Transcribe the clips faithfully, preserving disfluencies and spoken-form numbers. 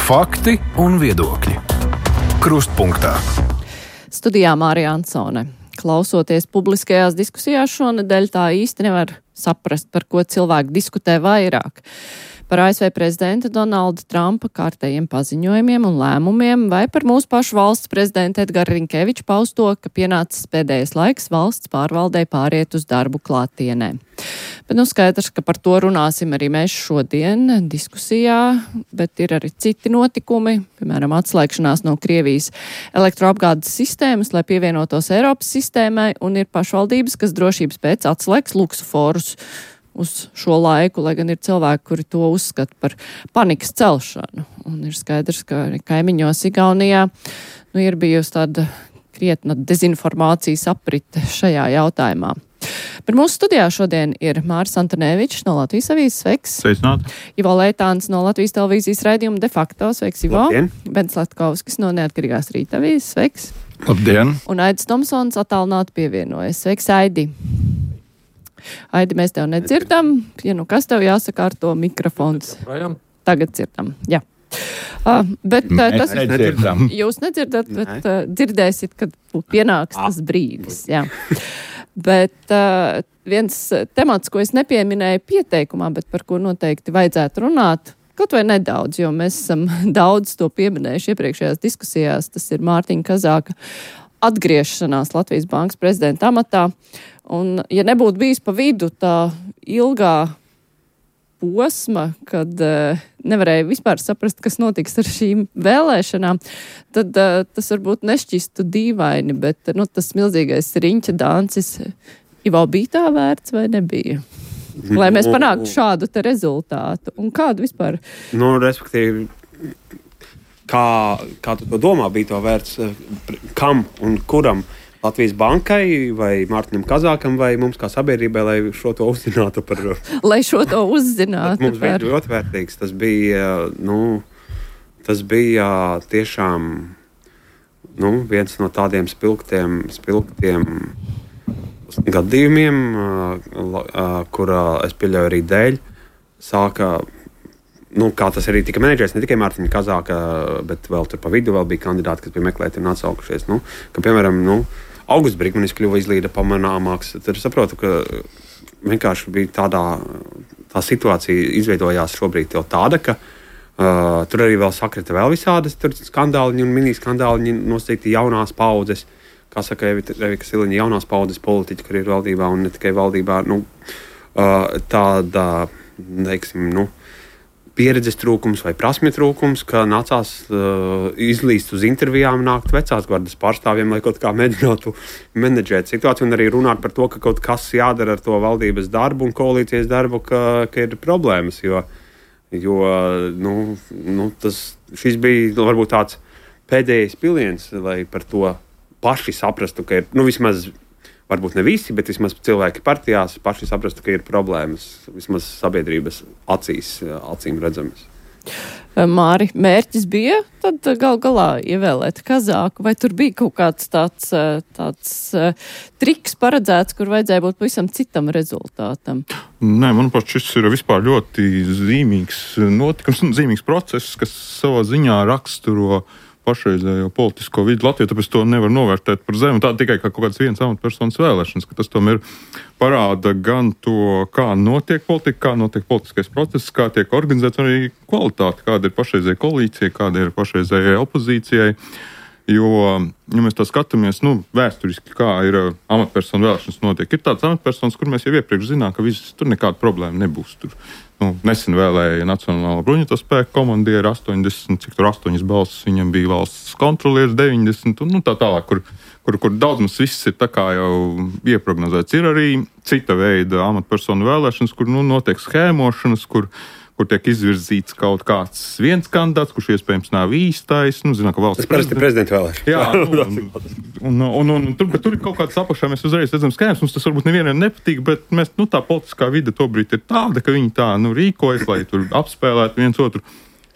Fakti un viedokļi. Krustpunktā. Studijā Mārija Ansone. Klausoties publiskajās diskusijās šonedēļ, tā īsti nevar saprast, par ko cilvēki diskutē vairāk. Par A S V prezidenta Donalda Trumpa kārtējiem paziņojumiem un lēmumiem vai par mūsu pašu valsts prezidenta Edgara Rinkeviča pausto, ka pienācis pēdējais laiks valsts pārvaldei pāriet uz darbu klātienē. Bet nu skaidrs, ka par to runāsim arī mēs šodien diskusijā, bet ir arī citi notikumi, piemēram, atslēgšanās no Krievijas elektroapgādes sistēmas, lai pievienotos Eiropas sistēmai, un ir pašvaldības, kas drošības pēc atslēgs luksuforus uz šo laiku, lai gan ir cilvēki, kuri to uzskata par panikas celšanu. Un ir skaidrs, ka kaimiņos Igaunijā nu, ir bijusi tāda krietna dezinformācijas aprite šajā jautājumā. Bet mūsu studijā šodien ir Māris Antonēvičs no Latvijas avīzes, sveiks. Sveicināt. Ivo Leitāns no Latvijas televīzijas raidījuma De facto, sveiks, Ivo. Labdien. Bens Latkovskis no Neatkarīgās Rīta avīzes, sveiks. Labdien. Un Aidis Tomsons attālināti pievienojas. Sveiks, Aidi. Aidi, mēs tev nedzirdam. Ja nu kas tev jāsakārto mikrofons? Tagad dzirdam, jā. Uh, bet uh, tas nedzirdam. Jūs nedzirdat, bet uh, dzirdēsiet, kad pienāks tas brīdis, jā. Bet uh, viens temats, ko es nepieminēju pieteikumā, bet par ko noteikti vajadzētu runāt, kaut vai nedaudz, jo mēs esam daudz to pieminējuši iepriekšējās diskusijās, tas ir Mārtiņa Kazāka atgriešanās Latvijas bankas prezidenta amatā. Un, ja nebūtu bijis pa vidu tā ilgā posma, kad uh, nevarēja vispār saprast, kas notiks ar šīm vēlēšanām, tad uh, tas varbūt nešķistu dīvaini, bet nu, tas milzīgais riņķa dancis jau bija tā vērts vai nebija? Lai mēs panāktu šādu te rezultātu. Un kādu vispār? Nu, respektīvi, kā, kā tu to domā, bija to vērts kam un kuram? Latvijas bankai vai Mārtiņam Kazākam vai mums kā sabiedrībai, lai šo to uzzinātu par... Lai šo to uzzinātu mums par... bija ļoti vērtīgs. Tas bija, nu, tas bija tiešām, nu, viens no tādiem spilgtiem, spilgtiem gadījumiem, kurā es pieļauju arī dēļ, sāka, nu, kā tas arī tika menedžēts, ne tikai Mārtiņa Kazāka, bet vēl tur pa vidu vēl bija kandidāti, kas bija meklēti un atsaukušies. Nu, ka, piemēram, nu, Augusts Brigmanis kļuva izlīda pamanāmāks. Tad es saprotu, ka vienkārši bija tādā, tā situācija izveidojās šobrīd jau tāda, ka uh, tur arī vēl sakrita vēl visādas skandāliņi un mini-skandāliņi nosacīti jaunās paudzes. Kā saka Evika Siliņa, jaunās paudzes politiķi, kur ir valdībā un ne tikai valdībā. Nu, uh, tāda, teiksim, nu, pieredzes trūkums vai prasmju trūkums, ka nācās uh, izlīst uz intervijām, nākt vecās gardas pārstāvjiem, lai kaut kā mēģinātu menedžēt situāciju un arī runāt par to, ka kaut kas jādara ar to valdības darbu un koalīcijas darbu, ka, ka ir problēmas, jo, jo nu, nu, tas, šis bija varbūt tāds pēdējais piliens, lai par to paši saprastu, ka ir, nu, vismaz varbūt ne visi, bet vismaz cilvēki partijās paši saprastu, ka ir problēmas, vismaz sabiedrības acīs, acīm redzamas. Māri, mērķis bija tad gal galā ievēlēt Kazāku, vai tur bija kaut kāds tāds, tāds triks paredzēts, kur vajadzēja būt pavisam citam rezultātam? Nē, manuprāt, šis ir vispār ļoti zīmīgs notikums un zīmīgs process, kas savā ziņā raksturo pašreizējo politisko vidi Latvijā, tāpēc to nevar novērtēt par zemu. Tā tikai kā kaut kāds viens amatpersonas vēlēšanas, ka tas tomēr parāda gan to, kā notiek politika, kā notiek politiskais process, kā tiek organizēts, un arī kvalitāte, kāda ir pašreizēja koalīcija, kāda ir pašreizējai opozīcijai. Jo, ja mēs tā skatāmies, nu, vēsturiski, kā ir amatpersonu vēlēšanas notiek, ir tāds amatpersonas, kur mēs jau iepriekš zinām, ka viss, tur nekāda problēma nebūs. Tur, nu, nesen vēlēja Nacionālo bruņoto spēku komandieru astoņdesmit, cik tur astoņas balsis, viņam bija valsts kontrolieris deviņdesmit, un nu, tā tālāk, kur, kur, kur daudz mums viss ir tā kā jau ieprognozēts. Ir arī cita veida amatpersonu vēlēšanas, kur, nu, notiek schēmošanas, kur kur tiek izvirzīts kaut kāds viens kandidāts, kurš iespējams nav īstais. Nu, zinām, ka valsts tas parasti ir prezidenta vēlēšanas. Jā, un, un, un, un, un tur, tur ir kaut kāds apakšā, mēs uzreiz redzam skēmas, mums tas varbūt nevienam nepatīk, bet mēs, nu, tā politiskā vide tobrīd ir tāda, ka viņi tā, nu, rīkojas, lai tur apspēlētu viens otru.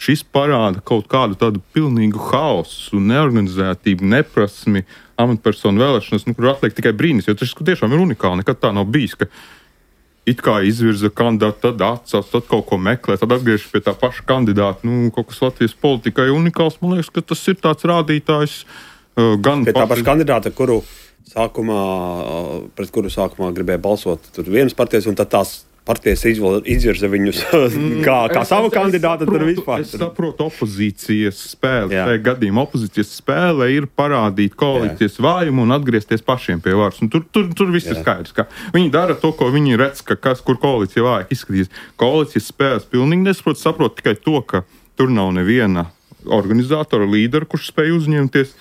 Šis parāda kaut kādu tādu pilnīgu haosu, neorganizētību, neprasmi, amatpersonu vēlēšanas, nu, kur atliek tikai brīnis, jo tas tiešām ir unikāli, nekad tā nav bijis, ka it kā izvirza kandidātu, tad atsauc, tad kaut ko meklē, tad atgriežas pie tā paša kandidāta. Nu, kaut kas Latvijas politikai unikāls, man liekas, ka tas ir tāds rādītājs uh, gan... Pie tā paša kandidāta, kuru sākumā, pret kuru sākumā gribēja balsot tur vienas partijas, un tad tās partijas izvirza viņus kā, kā savu kandidātu. Saprotu, vispār, es saprotu opozīcijas spēli. Jā. Tajā gadījumā opozīcijas spēle ir parādīt koalīcijas Jā. vājumu un atgriezties pašiem pie varas. Un tur, tur, tur viss Jā. ir skaidrs. Ka viņi dara to, ko viņi redz, ka kas, kur koalīcija vājāk izskatīs. Koalīcijas spēles pilnīgi nesaprot, saprot tikai to, ka tur nav neviena organizatora, līdera, kurš spēj uzņemties.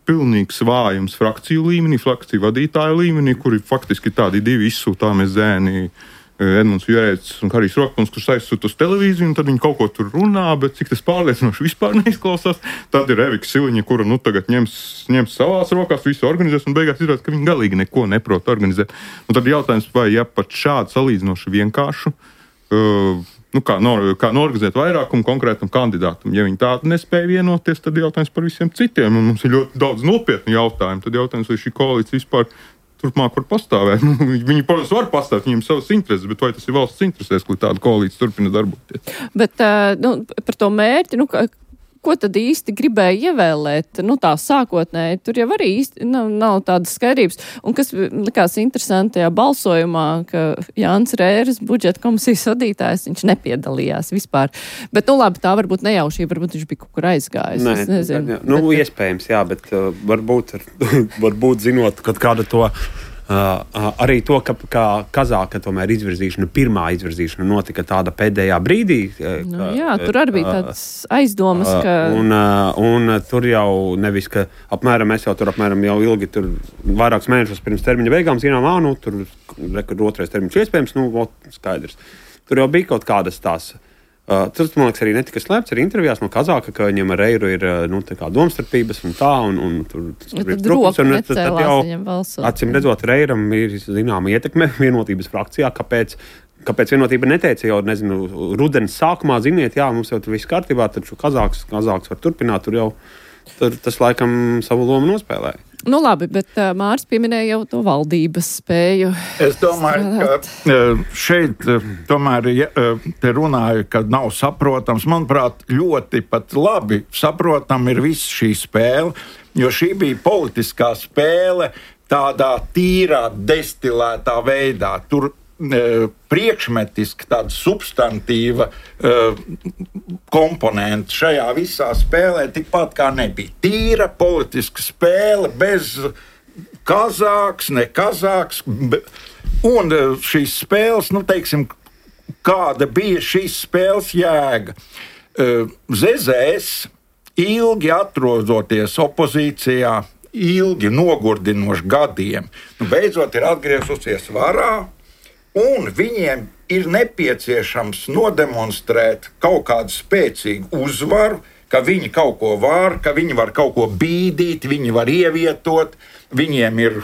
Pilnīgs vājums frakciju līmenī, frakciju vadītāju līmenī, kuri faktiski tādi divi izsūtāmie zēni, Edmunds Jurēts un Harijs Rokpuns, kurš aizsūta uz televīziju, un tad viņi kaut ko tur runā, bet cik tas pārliecinoši vispār neizklausās. Tad ir Evika Siliņa, kura nu tagad ņems, ņems savās rokās, visu organizēs, un beigās izrādās, ka viņi galīgi neko neprot organizēt. Un tad jautājums, vai ja pat šādu salīdzinoši vienkāršu, uh, nu kā, no, kā norganizēt vairākumu konkrētam kandidātam. Ja viņi tādu nespēja vienoties, tad jautājums par visiem citiem, un mums ir ļoti daudz nopietnu jautājumu. Tad jautājums, vai šī koalīcija vispār turpmāk var pastāvēt. Nu, viņi, protams, var pastāvēt, viņiem savas intereses, bet vai tas ir valsts interesēs, lai tāda koalīcija turpina darboties? Bet nu, par to mērķi, nu, ko tad īsti gribēja ievēlēt? Nu, tā sākotnēji, tur jau arī īsti nav, nav tādas skaidrības. Un kas likās interesanti tajā balsojumā, ka Jānis Rēris, budžeta komisijas vadītājs, viņš nepiedalījās vispār. Bet, nu labi, tā varbūt nejaušība, varbūt viņš bija kaut kur aizgājis. Nē, es nezinu. Jā, nu, bet, iespējams, jā, bet uh, varbūt, varbūt zinot, kad kāda to... Uh, uh, arī to, ka, ka Kazāka tomēr izvirzīšana, pirmā izvirzīšana notika tāda pēdējā brīdī. Uh, nu, jā, tur arī bija tāds aizdomas, uh, ka... Un, uh, un tur jau nevis, ka apmēram mēs jau tur apmēram jau ilgi tur vairākus mēnešus pirms termiņa beigām zinām, ā, nu, tur rekur otrais termiņš iespējams, nu, ot, skaidrs. Tur jau bija kaut kādas tās... Uh, tas, man liekas, arī netika slēpts arī intervijās no Kazāka, ka viņam ar Reiru ir nu, tā kā domstarpības un tā, un, un tur, tur ja, tad roka necēlās viņam balsot. Acīm redzot, Reiram ir zināma ietekme vienotības frakcijā, kāpēc, kāpēc vienotība neteica jau, nezinu, rudenes sākumā, ziniet, jā, mums jau tur viss kārtībā, tad šo Kazāks, Kazāks var turpināt, tur jau tur, tas laikam savu lomu nospēlēja. Nu labi, bet uh, Māris pieminēja jau to valdības spēju. Es domāju, strādāt. ka šeit tomēr ja, te runāju, ka nav saprotams. Manuprāt, ļoti pat labi saprotam ir viss šī spēle, jo šī bija politiskā spēle tādā tīrā, destilētā veidā. Tur priekšmetiski tāda substantīva uh, komponenta šajā visā spēlē tikpat kā nebija. Tīra politiska spēle bez Kazāks, ne Kazāks. Un uh, šīs spēles, nu teiksim, kāda bija šīs spēles jēga. Uh, Zezēs ilgi atrodoties opozīcijā, ilgi nogurdinoši gadiem, nu, beidzot ir atgriezusies varā. Un viņiem ir nepieciešams nodemonstrēt kaut kādu spēcīgu uzvaru, ka viņi kaut ko var, ka viņi var kaut ko bīdīt, viņi var ievietot, viņiem ir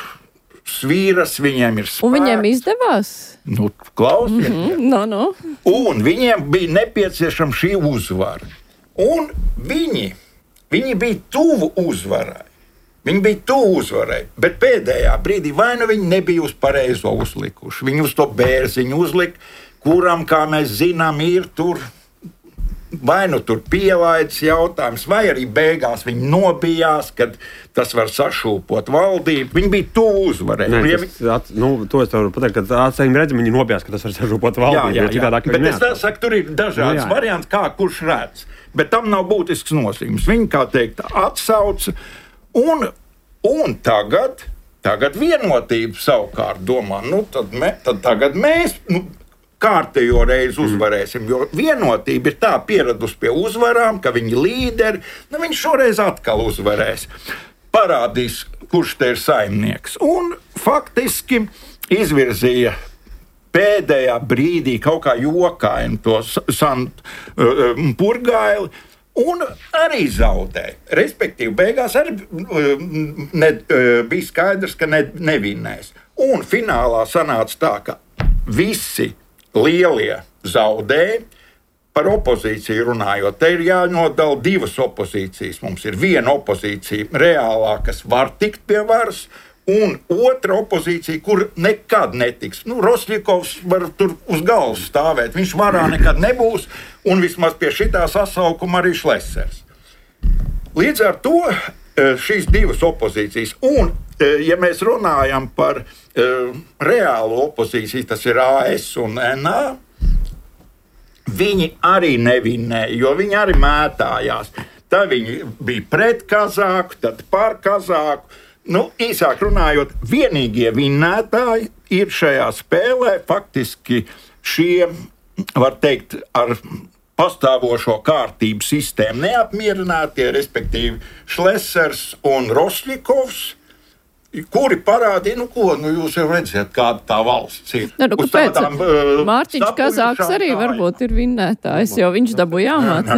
svīras, viņiem ir spēks. Un viņiem izdevās? Nu, klausiet. Mm-hmm. No, no. Un viņiem bija nepieciešama šī uzvara. Un viņi, viņi bija tuvu uzvarai. Viņi bija tuvu uzvarai, bet pēdējā brīdī vai nu viņi nebija uz pareizo uzlikuši. Viņi uz to bērziņu uzlika, kuram, kā mēs zinām, ir tur vai nu tur pielaides jautājums, vai arī beigās viņi nobijās, kad tas var sašūpot valdību. Viņi bija tuvu uzvarai. Nē, tas, at, nu, to es varu pateikt, ka acīm redzam, viņi nobijās, ka tas var sašūpot valdību. Jā, jā, jā. Bet es tā saku, tur ir dažādas jā, jā. varianti, kā kurš redz. Bet tam nav būtisks nozīmes. Viņi, kā teikt, atsauca. Un, un tagad, tagad vienotība savukārt domā, nu tad, me, tad tagad mēs nu, kārtējo reizi uzvarēsim, jo vienotība ir tā pieradusi pie uzvarām, ka viņi līderi, nu viņš šoreiz atkal uzvarēs. Parādīs, kurš te ir saimnieks. Un faktiski izvirzīja pēdējā brīdī kaut kā jokaini to Sant uh, Purgaili, un arī zaudēja. Respektīvi, beigās arī ne, bija skaidrs, ka ne, nevinēs. Un finālā sanāca tā, ka visi lielie zaudēja. Par opozīciju runājot, te ir jānodala divas opozīcijas. Mums ir viena opozīcija reālā, kas var tikt pie varas, un otra opozīcija, kur nekad netiks. Nu, Rosļikovs var tur uz galvas stāvēt, viņš varā nekad nebūs, un vismaz pie šitā sasaukuma arī Šlesers. Līdz ar to šīs divas opozīcijas, un ja mēs runājam par uh, reālu opozīciju, tas ir A S un N A, viņi arī nevinēja, jo viņi arī mētājās. Tad viņi bija pret Kazāku, tad par Kazāku. Nu, īsāk runājot, vienīgie vinnētāji ir šajā spēlē faktiski šie, var teikt, ar pastāvošo kārtību sistēmu neapmierinātie, respektīvi Šlesers un Rosļikovs, kuri parādīja, nu ko, nu jūs jau redzat, kāda tā valsts ir. Ne, nu, kāpēc? Tādām, uh, Mārtiņš Kazāks arī varbūt ir vinnētājs, jo viņš dabūja jāmāca.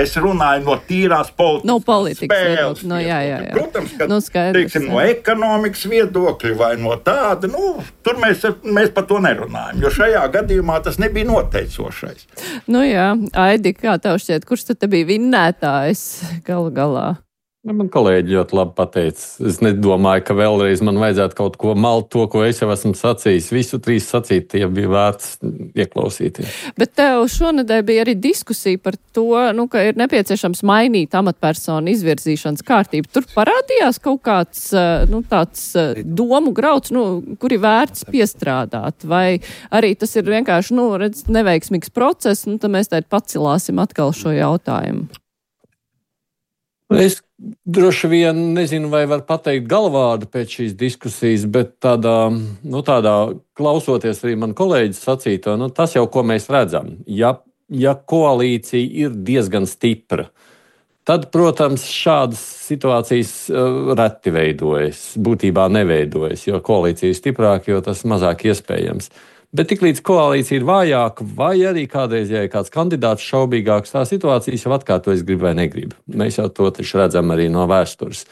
Es runāju no tīrās politikas, no politikas spēles. No, jā, jā, jā. Protams, ka, no, skaidrs, teiksim, no ekonomikas viedokļa vai no tāda, nu, tur mēs, mēs par to nerunājam, jo šajā gadījumā tas nebija noteicošais. Nu jā, Aidi, kā tev šķiet, kurš tad te bija vinnētājs galu galā? Man kolēģi ļoti labi pateica. Es nedomāju, ka vēlreiz man vajadzētu kaut ko malt to, ko es jau esmu sacījis. Visu trīs sacīt, tie bija vērts ieklausīties. Bet tev šonedēļ bija arī diskusija par to, nu, ka ir nepieciešams mainīt amatpersonu izvirzīšanas kārtību. Tur parādījās kaut kāds nu, tāds domu grauds, nu, kur ir vērts piestrādāt. Vai arī tas ir vienkārši nu, redz, neveiksmīgs process, nu, tad mēs tādi pacilāsim atkal šo jautājumu. Es droši vien nezinu, vai var pateikt galvādu pēc šīs diskusijas, bet tādā, nu, tādā klausoties arī man kolēģis sacīto, nu, tas jau, ko mēs redzam. Ja, ja koalīcija ir diezgan stipra, tad, protams, šādas situācijas uh, reti veidojas, būtībā neveidojas, jo koalīcija ir stiprāka, jo tas mazāk iespējams. Bet tiklīdz koalīcija ir vājāka, vai arī kādreiz, ja ir kāds kandidāts šaubīgāks, tā situācijas jau atkārtojas grib vai negrib. Mēs jau to taču redzam arī no vēstures.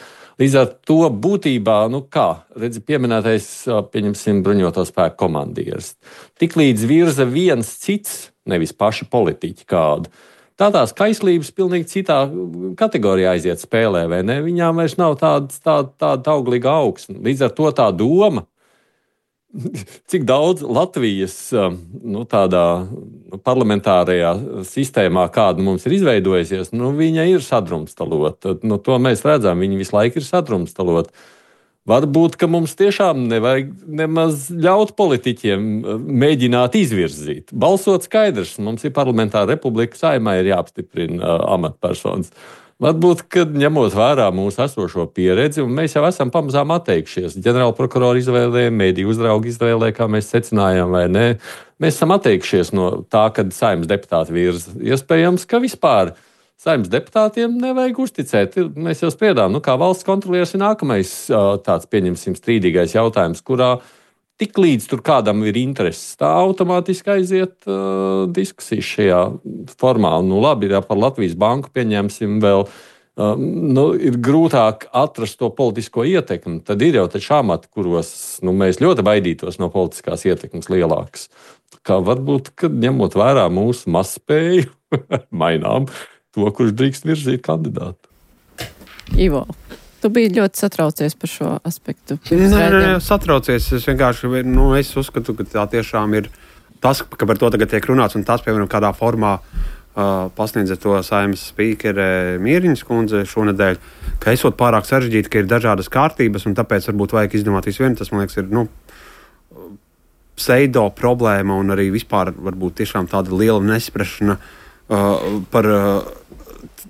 Līdz ar to būtībā, nu kā, redzi, pieminētais, pieņemsim, bruņoto spēku komandieris. Tiklīdz virza viens cits, nevis paši politiķi kādu, tā tās kaislības pilnīgi citā kategorijā aiziet spēlē, vai ne? Viņām vairs nav tāda, tāda, tāda auglīga augsne. Līdz ar to tā doma, cik daudz Latvijas nu, tādā parlamentārajā sistēmā, kāda mums ir izveidojusies, nu, viņa ir sadrumstalota. Nu, to mēs redzam, viņa visu laiku ir sadrumstalota. Varbūt, ka mums tiešām nevajag nemaz ļaut politiķiem mēģināt izvirzīt. Balsot skaidrs, mums ir parlamentāra republika, Saeimai ir jāapstiprina uh, amatpersonas. Varbūt, kad ņemot vērā mūsu esošo pieredzi, un mēs jau esam pamazām atteikšies. Ģenerāla prokurora izvēlē, mediju uzrauga izvēlē, kā mēs secinājām, vai ne. Mēs esam atteikšies no tā, kad Saeimas deputāti virza. Iespējams, ka vispār Saeimas deputātiem nevajag uzticēt. Mēs jau spriedām, nu kā valsts kontrolieris ir nākamais tāds, pieņemsim, strīdīgais jautājums, kurā tik līdz tur kādam ir intereses, tā automātiski aiziet uh, diskusijas šajā formā. Nu, labi, ja par Latvijas banku pieņemsim vēl, uh, nu, ir grūtāk atrast to politisko ietekmi. Tad ir jau taču amati, kuros nu, mēs ļoti baidītos no politiskās ietekmes lielākas. Kā varbūt, kad ņemot vērā mūsu mazspēju, mainām to, kurš drīkst virzīt kandidātu. Ivo. Tu biji ļoti satraucies par šo aspektu. Nē, nē, nē, satraucies. Es vienkārši, nu, es uzskatu, ka tā tiešām ir tas, ka par to tagad tiek runāts, un tas, piemēram, kādā formā uh, pasniedza to Saeimas spīkere Mieriņas kundze šonedēļ, ka esot pārāk sarežģīti, ka ir dažādas kārtības, un tāpēc varbūt vajag izdomāt visu vienu. Tas, man liekas, ir, nu, pseido problēma, un arī vispār varbūt tiešām tāda liela nesprašana uh, par... Uh,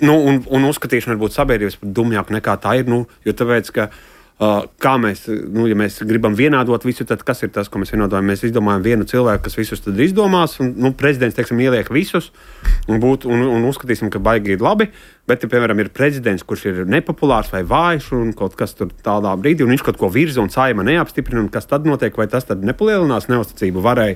Nu, un, un uzskatīšana varbūt sabiedrības par dumjāku nekā tā ir. Nu, jo tāpēc, ka uh, kā mēs, nu, ja mēs gribam vienādot visu, tad kas ir tas, ko mēs vienādojam? Mēs izdomājam vienu cilvēku, kas visus tad izdomās, un nu, prezidents, teiksim, ieliek visus, un, būt, un, un uzskatīsim, ka baigi ir labi. Bet, ja, piemēram, ir prezidents, kurš ir nepopulārs vai vājš, un kaut kas tur tādā brīdī, un viņš kaut ko virza, un Saeima neapstiprina, un kas tad notiek, vai tas tad nepalielinās neusticību varai,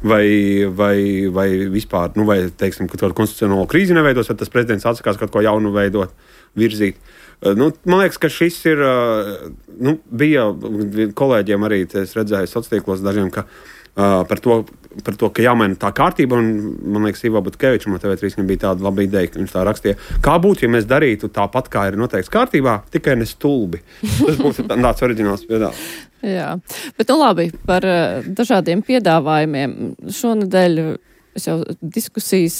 vai, vai, vai vispār, nu, vai, teiksim, ka tādu konstitucionālo krīzi neveidos, tad tas prezidents atsakās kaut ko jaunu veidot, virzīt. Nu, man liekas, ka šis ir, nu, bija kolēģiem arī, es redzēju sociālos dažiem, ka uh, par, to, par to, ka jāmaina tā kārtība, un man liekas, Ivo Butkevičam no T V trīs bija tāda laba ideja, ka viņš tā rakstīja. Kā būtu, ja mēs darītu tāpat, kā ir noteikts kārtībā, tikai ne stulbi? Tas būtu tāds oriģināls piedāvājums. Jā, bet nu labi, par dažādiem piedāvājumiem. Šonedēļ es jau diskusijas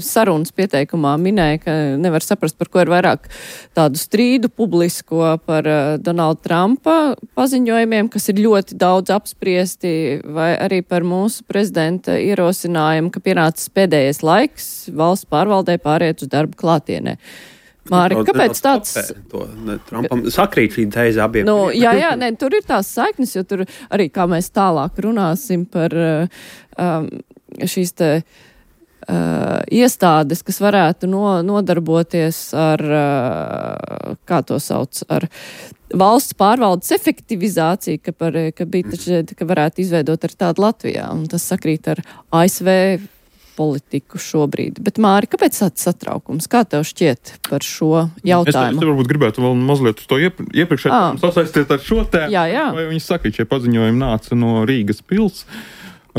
sarunas pieteikumā minēju, ka nevar saprast, par ko ir vairāk tādu strīdu publisko par Donalda Trumpa paziņojumiem, kas ir ļoti daudz apspriesti, vai arī par mūsu prezidenta ierosinājumu, ka pienācis pēdējais laiks valsts pārvaldē pāriet uz darbu klātienē. Māri, kāpēc tāds... To, ne, Trumpam sakrīt šī tēze abiem. Nu, jā, jā, ne, tur ir tās saiknes, jo tur arī, kā mēs tālāk runāsim par um, šīs te uh, iestādes, kas varētu no, nodarboties ar, uh, kā to sauc, ar valsts pārvaldes efektivizāciju, ka, par, ka, bija taču, ka varētu izveidot ar tādu Latvijā, un tas sakrīt ar A S V politiku šobrīd. Bet, Māri, kāpēc tāds satraukums? Kā tev šķiet par šo jautājumu? Es, es varbūt gribētu vēl mazliet uz to iepr iepriekšēju sasaistīt ar šo tēmu. Jā, jā. Vai viņi saka, šie paziņojumi nāca no Rīgas pils,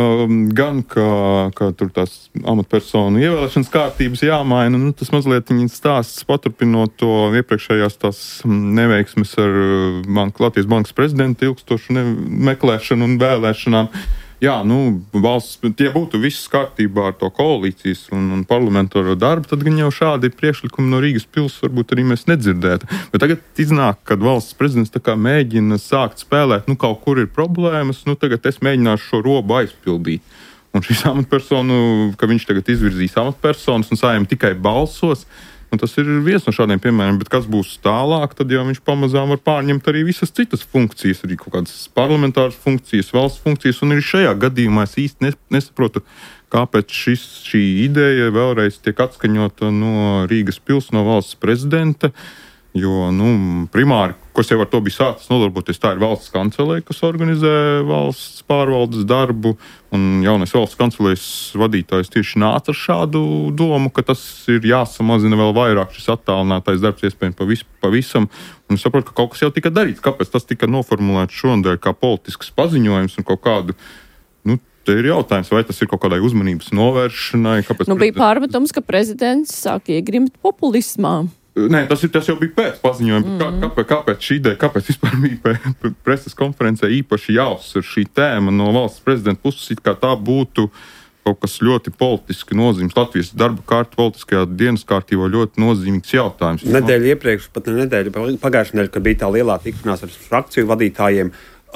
um, gan kā, kā tur tās amatpersonu ievēlēšanas kārtības jāmaina. Nu, tas mazliet viņi stāsts paturpinot to iepriekšējās tās neveiksmes ar bank, Latvijas bankas prezidentu ilgstošu meklēšanu un vēlēšanām. Jā, nu, valsts, ja būtu viss kārtībā ar to koalīcijas un, un parlamentāro darbu, tad gan jau šādi priekšlikumi no Rīgas pils varbūt arī mēs nedzirdētu. Bet tagad iznāk, kad valsts prezidents tā kā mēģina sākt spēlēt, nu, kaut kur ir problēmas, nu, tagad es mēģināšu šo robu aizpildīt. Un šīs amatpersonu, ka viņš tagad izvirzīs amatpersonas un Saeima tikai balsos, un tas ir viens no šādiem piemēriem, bet kas būs tālāk, tad jau viņš pamazām var pārņemt arī visas citas funkcijas, arī kaut kādas parlamentāras funkcijas, valsts funkcijas, un arī šajā gadījumā es īsti nesaprotu, kāpēc šis, šī ideja vēlreiz tiek atskaņota no Rīgas pils, no valsts prezidenta, jo, nu, primāri, kas jau ar to bija sācis nodarboties, tā ir valsts kancelē, kas organizē valsts pārvaldes darbu, un jaunais valsts kancelēs vadītājs tieši nāca ar šādu domu, ka tas ir jāsamazina vēl vairāk šis attālinātais darbs, iespējams pavis, pavisam, un es saprotu, ka kaut kas jau tika darīts, kāpēc tas tika noformulēts šonadēļ kā politisks paziņojums un kaut kādu, nu, te ir jautājums, vai tas ir kaut kādai uzmanības novēršanai, kāpēc... Nu, bija pārmetums, ka prezidents sāk iegrimt populismā. Nē, tas, ir, tas jau bija pēc paziņojuma. Mm. Kā, kāpēc, kāpēc šī ideja, kāpēc vispār bija preses konferencē īpaši jāuzsver šī tēma no valsts prezidenta puses, it kā tā būtu kaut kas ļoti politiski nozīmīgs. Latvijas darba kārta politiskajā dienas kārtībā ļoti nozīmīgs jautājums. Nedēļa iepriekš, pat ne nedēļa, pagājušajā nedēļā, kad bija tā lielā tikšanās ar frakciju vadītājiem,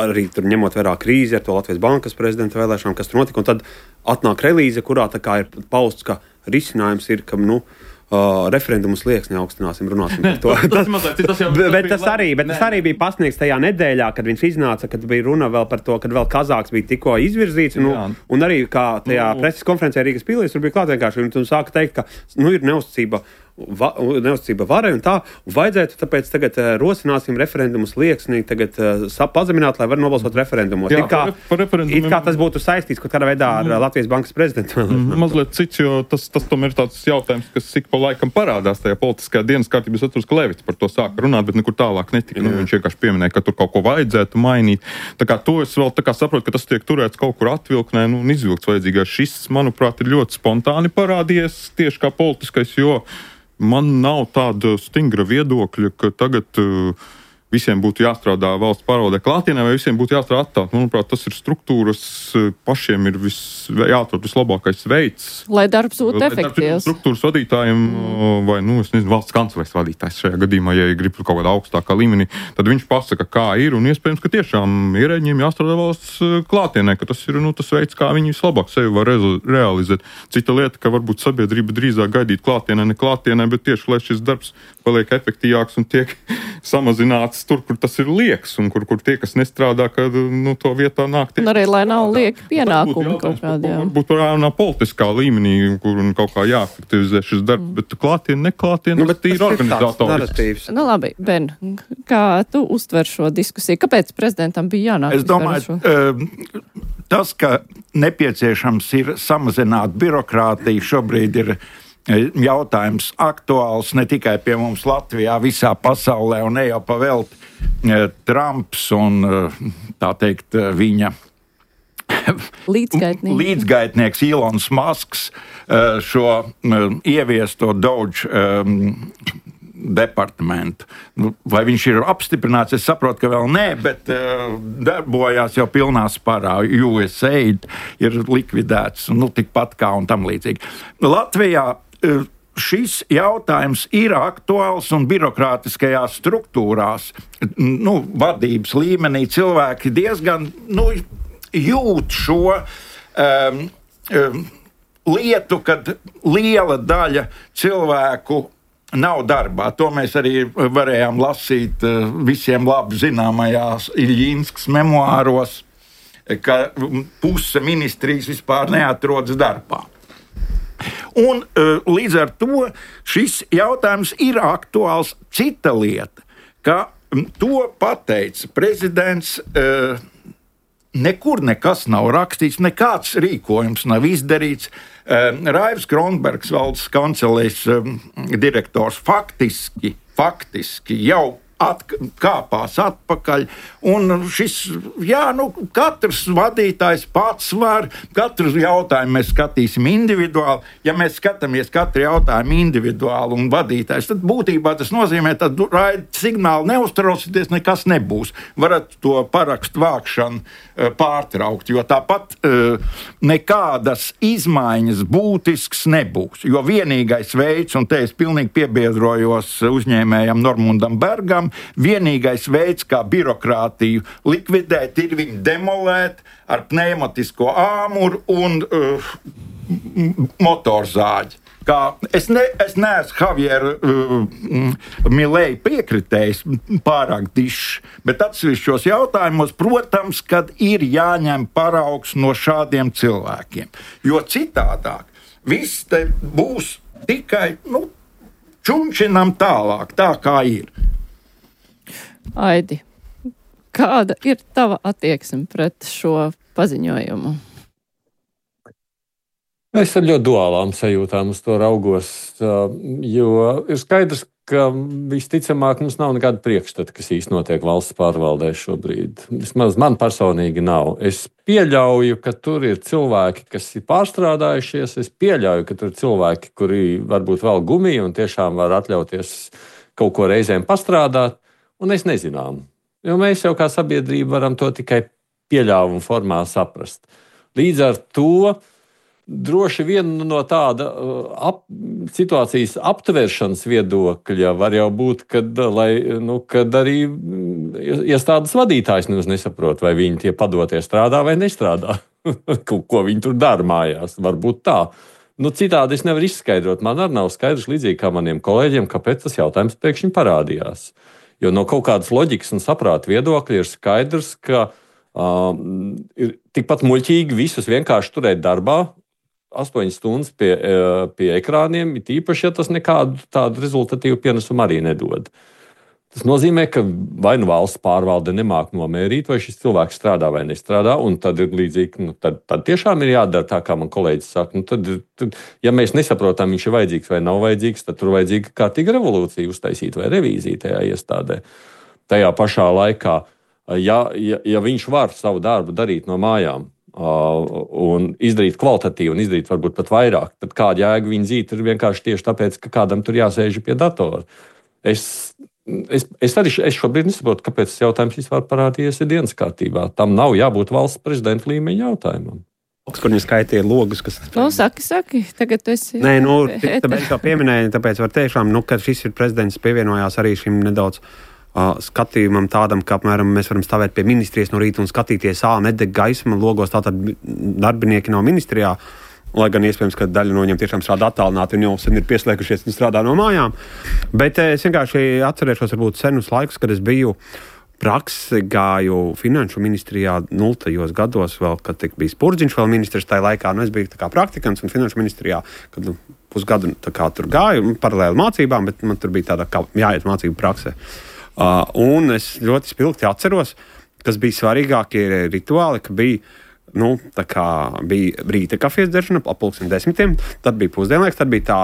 arī tur ņemot vērā krīzi ar to Latvijas bankas prezidenta vēlēšanām, kas tur notika, un tad atnāk relīze, kurā tā kā ir pausts, ka risinājums ir, ka, nu, Uh, referendumu slieksni augstināsim, runāsim par to. tas, mazliet, tas, jau, bet, tas, bet tas, arī, bet tas arī bija pasniegts tajā nedēļā, kad viņš iznāca, kad bija runa vēl par to, kad vēl Kazāks bija tikko izvirzīts. Un, un arī kā tajā nu, preses konferencē Rīgas pilī, tur bija klāt vienkārši, un sāka teikt, ka nu, ir neuzticība. Va, neuzticība varai un tā, un vajadzētu tāpēc tagad uh, rosināsim referendumu slieksni, tagad uh, pazemināt, lai var nobalsot referendumos. Jā, it kā, par referendumiem... it kā tas būtu saistīts kaut kādā veidā ar mm. Latvijas bankas prezidentu. Mm, mazliet cits, jo tas, tas tomēr ir tāds jautājums, kas ik pa laikam parādās tajā politiskajā dienas kārtībā. Es atceros, ka Levits par to sāka runāt, bet nekur tālāk netika. Nu, viņš vienkārši pieminēja, ka tur kaut ko vajadzētu mainīt. Tā kā to es vēl tā kā saprotu, ka tas tiek turēts kaut kur atvilknē, nu, un izvilkts vajadzīgais. Šis, manuprāt, ir ļoti spontāni parādījies tieši kā politiskais, jo man nav tāda stingra viedokļa, ka tagad uh, visiem būtu jāstrādā valsts pārvaldē klātienē vai visiem būtu jāstrādā attālināti. Manuprāt, tas ir struktūras, pašiem ir vis, jāatrod vislabākais veids. Lai darbs būtu efektīvs. Struktūras vadītājiem mm. vai, nu, es nezinu, valsts kancelēs vadītājs šajā gadījumā, ja grib kaut kādā augstākā līmenī, tad viņš pasaka, kā ir, un iespējams, ka tiešām ierēģiem jāstrādā valsts klātienē, ka tas ir, nu, tas veids, kā viņi vislabāk sevi var realizēt. Cita lieta, ka varbūt sabiedrība drīzāk gaidīt klātienē, ne klātienē, bet tieši, lai šis darbs paliek efektīvāks un tiek samazināts tur, kur tas ir lieks, un kur, kur tie, kas nestrādā, kad, nu, to vietā nāk tie. Un arī, lai nav lieki pienākumi kaut kādi, jā. Varbūt varētu politiskā līmenī, kur kaut kā jāefektivizē šis darbs, mm. bet klātien, neklātien, nu, bet tas ir organizatorisks. Nu, labi, Ben, kā tu uztver šo diskusiju? Kāpēc prezidentam bija jānāk? Es domāju, uh, tas, ka nepieciešams ir samazināt birokrātiju, šobrīd ir jautājums aktuāls ne tikai pie mums Latvijā, visā pasaulē, un ne jau pavelti Trumps un, tā teikt, viņa Līdzgaitnieks. Līdzgaitnieks Ilons Masks šo ieviesto Doge um, departamentu. Vai viņš ir apstiprināts? Es saprotu, ka vēl nē, bet uh, darbojās jau pilnā sparā. U S A I D ir likvidēts, nu, tikpat kā un tam līdzīgi. Latvijā uh, šis jautājums ir aktuāls un birokrātiskajās struktūrās, nu, vadības līmenī cilvēki diezgan, nu, jūt šo um, um, lietu, kad liela daļa cilvēku nav darbā. To mēs arī varējām lasīt uh, visiem labi zināmajās Iļinskas memoāros, ka puse ministrijas vispār neatrodas darbā. Un uh, līdz ar to šis jautājums ir aktuāls. Cita lieta, ka to pateica prezidents. Uh, Nekur nekas nav rakstīts, nekāds rīkojums nav izdarīts. Raivs Kronbergs, valdes kancelēs direktors, faktiski, faktiski jau atkāpās atpakaļ. Un šis, jā, nu, katrs vadītājs pats var, katru jautājumu mēs skatīsim individuāli. Ja mēs skatāmies katru jautājumu individuāli un vadītājs, tad būtībā tas nozīmē, ka raida signāli neuztraucieties, nekas nebūs. Varat to parakstu vākšanu pārtraukt, jo tāpat nekādas izmaiņas būtisks nebūs. Jo vienīgais veids, un te es pilnīgi piebiedrojos uzņēmējam Normundam Bergam, vienīgais veids, kā birokrātiju likvidēt, ir viņu demolēt ar pneumatisko āmuru un uh, motorzāģi. Kā, es, ne, es neesmu Javiera uh, Milei piekritējis pārāk dišs, bet atsevišķos jautājumos, protams, kad ir jāņem paraugs no šādiem cilvēkiem. Jo citādāk viss te būs tikai, nu, čunčinam tālāk, tā kā ir. Aidi, kāda ir tava attieksme pret šo paziņojumu? Es ar ļoti duālām sajūtām uz to raugos, jo ir skaidrs, ka visticamāk mums nav nekāda priekšstata, kas īsti notiek valsts pārvaldē šobrīd. Vismaz man personīgi nav. Es pieļauju, ka tur ir cilvēki, kas ir pārstrādājušies. Es pieļauju, ka tur ir cilvēki, kuri varbūt vēl gumiju un tiešām var atļauties kaut ko reizēm pastrādāt. Un es nezinām, jo mēs jau kā sabiedrība varam to tikai pieļāvumu formā saprast. Līdz ar to droši vien no tāda ap, situācijas aptvēršanas viedokļa var jau būt, kad, lai, nu, kad arī iestādes vadītājs nesaprot, vai viņi tie padotie strādā vai nestrādā. Ko viņi tur dara mājās, varbūt tā. Nu, citādi es nevaru izskaidrot. Man arī nav skaidrs, līdzīgi kā maniem kolēģiem, kāpēc tas jautājums pēkšņi parādījās. Jo no kaut kādas loģikas un saprāta viedokļa ir skaidrs, ka um, ir tikpat muļķīgi visus vienkārši turēt darbā, astoņas stundas pie, pie ekrāniem, it īpaši, ja tas nekādu tādu rezultatīvu pienesumu arī nedod. Tas nozīmē, ka vai nu valsts pārvalde nemāk nomērīt, vai šis cilvēks strādā vai nestrādā, un tad ir līdzīgi, nu, tad, tad tiešām ir jādara tā, kā man kolēģis saka. Nu, tad, tad, ja mēs nesaprotam, viņš ir vajadzīgs vai nav vajadzīgs, tad tur vajadzīga kārtīga revolūcija uztaisīt vai revīzija tajā iestādē. Tajā pašā laikā, ja, ja, ja viņš var savu darbu darīt no mājām, uh, un izdarīt kvalitatīvi, un izdarīt varbūt pat vairāk, tad kāda jēga viņa dzīt ir vienkārši tieši tāpēc, ka kādam tur jāsēž pie datora. Es Es, es arī es šobrīd nesaprotu, kāpēc tas jautājums vispār parādījies dienas kārtībā. Tam nav jābūt valsts prezidenta līmeņa jautājumam. Kur viņi skaitīja logus, kas... Nu, saki, saki, tagad tu esi... Nē, nu, tāpēc to pieminēju, tāpēc var tiešām, nu, ka šis ir prezidents pievienojās arī šim nedaudz uh, skatījumam tādam, ka, apmēram, mēs varam stāvēt pie ministrijas no rīta un skatīties, ā, nedeg gaisma logos, tātad darbinieki nav ministrijā. Lai gan iespējams, ka daļa no viņiem tiešām strādā attālināti, viņi jau sen ir pieslēgušies un strādā no mājām. Bet es vienkārši atcerēšos varbūt senus laikus, kad es biju praksi, gāju finanšu ministrijā nultajos gados, vēl, kad bija Spurdziņš vēl ministrs tajā laikā. Nu, es biju tā kā praktikants un finanšu ministrijā, kad nu, pusgadu tā kā tur gāju, paralēli mācībām, bet man tur bija tāda kā jāiet mācību praksē. Uh, un es ļoti spilgti atceros, kas bija svarīgākie rituāli, ka bija nu, tā kā bija rīta kafijas dzeršana ap pulksten desmitiem, tad bija pusdienlaiks, tad bija tā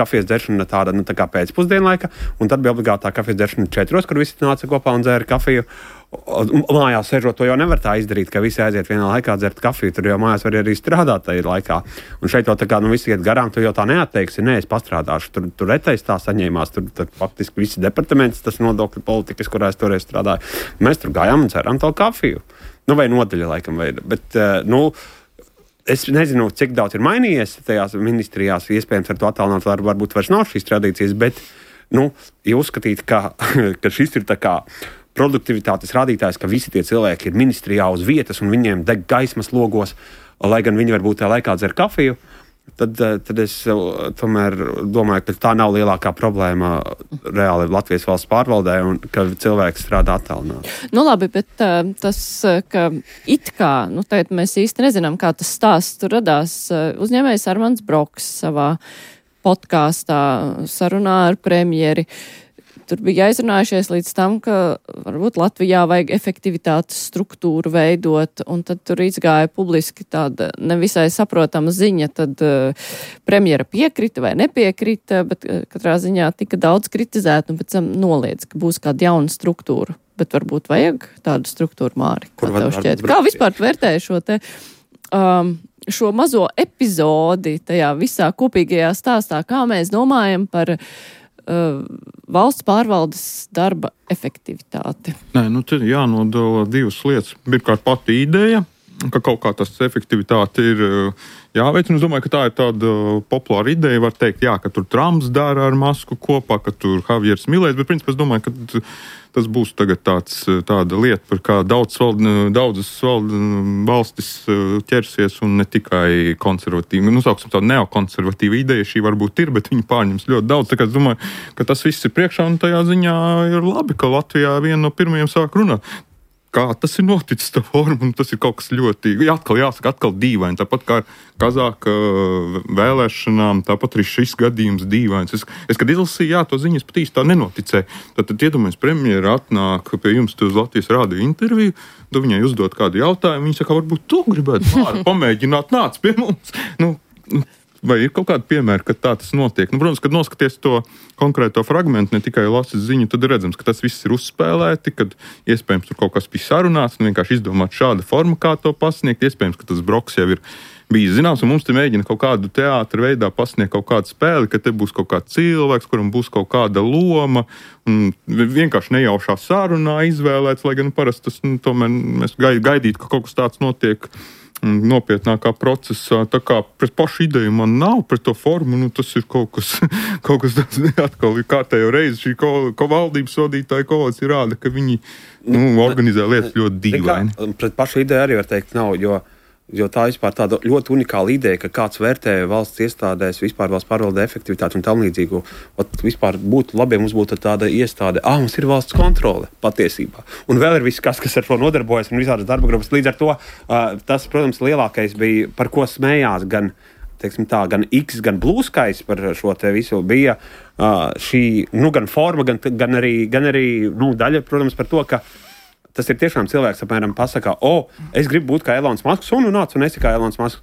kafijas dzeršana tāda, nu, tā kā pēcpusdienlaika, un tad bija obligātā kafijas dzeršana četros, kur visi nāca kopā un dzēra kafiju. Mājās sēžot, to jau nevar tā izdarīt, ka visi aiziet vienā laikā dzert kafiju, tur jau mājās var arī strādāt tajā laikā. Un šeit jau tā kā, nu, visi iet garām, tu jau tā neatteiksi, nē, es pastrādāšu, tur, tur retais tā saņēmās, tur, tur faktiski visi departaments, tas nodokļu politikas, kurā es toreiz strādāju. Mēs tur gājām un dzeram to kafiju. Nu, vai nodaļa laikam veida, bet, nu, es nezinu, cik daudz ir mainījies tajās ministrijās, iespējams ar to attālināt, var, varbūt vairs nav šīs tradīcijas, bet, nu, ja uzskatīt, ka, ka šis ir tā kā produktivitātes rādītājs, ka visi tie cilvēki ir ministrijā uz vietas un viņiem deg gaismas logos, lai gan viņi varbūt tajā laikā dzer kafiju, tad, tad es tomēr domāju, ka tā nav lielākā problēma reāli Latvijas valsts pārvaldē un ka cilvēks strādā attālināti. Nu labi, bet uh, tas, ka it kā, nu tagad mēs īsti nezinām, kā tas stāsts tur radās, uzņēmējs Armands Broks savā podkāstā sarunā ar premjeri. Tur bija aizrunājušies līdz tam, ka varbūt Latvijā vajag efektivitātes struktūru veidot, un tad tur izgāja publiski tāda nevisai saprotama ziņa, tad uh, premjera piekrita vai nepiekrita, bet uh, katrā ziņā tika daudz kritizēt un pēc tam noliedz, ka būs kāda jauna struktūra. Bet varbūt vajag tādu struktūru, Māri? Kā tev šķiet? Kā vispār vērtēji šo te, um, šo mazo epizodi tajā visā kopīgajā stāstā, kā mēs domājam par Uh, valsts pārvaldes darba efektivitāti? Nē, nu te jānodala divas lietas. Pirmkārt, pati ideja, ka kaut kā tas efektivitāte ir jāveic. Un es domāju, ka tā ir tāda populāra ideja. Var teikt, jā, ka tur Trumps dara ar Masku kopā, ka tur Javiers Milēs, bet principā es domāju, ka tas būs tagad tāds, tāda lieta, par kā daudz, daudzas valstis ķersies un ne tikai konservatīvi. Nu, sauksim tādu neokonservatīvu ideju, šī varbūt ir, bet viņi pārņems ļoti daudz. Tā kā es domāju, ka tas viss ir priekšā un tajā ziņā ir labi, ka Latvijā viena no pirmajiem sāk runāt. Kā tas ir noticis, tā forma, un tas ir kaut kas ļoti, jā, atkal jāsaka, atkal dīvaini. Tāpat kā ar Kazāka vēlēšanām, tāpat arī šis gadījums dīvains. Es, es kad izlasīju, jā, to ziņas pat īsti tā nenoticēju. Tad, tad iedomājies, premjera atnāk pie jums uz Latvijas rādio interviju, tad viņai uzdot kādu jautājumu, viņa saka, varbūt tu gribētu Māra pamēģināt, nāc pie mums. Nu, nu, vai ir kaut kāda piemēra, ka tā tas notiek? Nu, protams, kad noskaties to konkrēto fragmentu, ne tikai lasis ziņu, tad redzams, ka tas viss ir uzspēlēti, kad iespējams tur kaut kas bija sarunāts un vienkārši izdomāt šāda forma, kā to pasniegt. Iespējams, ka tas Broks jau ir bijis zināms, un mums te mēģina kaut kādu teātra veidā pasniegt kaut kādu spēli, ka te būs kaut kāds cilvēks, kuram būs kaut kāda loma, un vienkārši nejaušā sarunā izvēlēts, lai gan parasti tas, nu, tomēr mēs gaidītu, ka kaut kas tāds notiek nopietnākā procesā. Tā kā pret pašu ideju man nav, pret to formu, nu tas ir kaut kas, kaut kas tāds, atkal ir kārtējo reizi šī ko, ko valdības vadītāja koalīcija rāda, ka viņi, nu, organizē lietas ļoti dīvaini. Pret pašu ideju arī var teikt nav, jo Jo tā vispār tāda ļoti unikāla ideja, ka kāds vērtē valsts iestādēs, vispār valsts pārvaldē efektivitāti un tam līdzīgu. Ot, vispār būtu labi, ja mums būtu tāda iestāde, ah, mums ir valsts kontrole patiesībā. Un vēl ir viss, kas, kas ar to nodarbojas un visādas darba grupas. Līdz ar to uh, tas, protams, lielākais bija, par ko smējās gan, teiksim tā, gan X, gan Blue Skies par šo te visu, bija uh, šī, nu, gan forma, gan, gan arī, gan arī nu, daļa, protams, par to, ka tas ir tiešām cilvēks, apmēram, pasakā, o, es gribu būt kā Elons Musks, un, un nāc, un esi kā Elons Musks.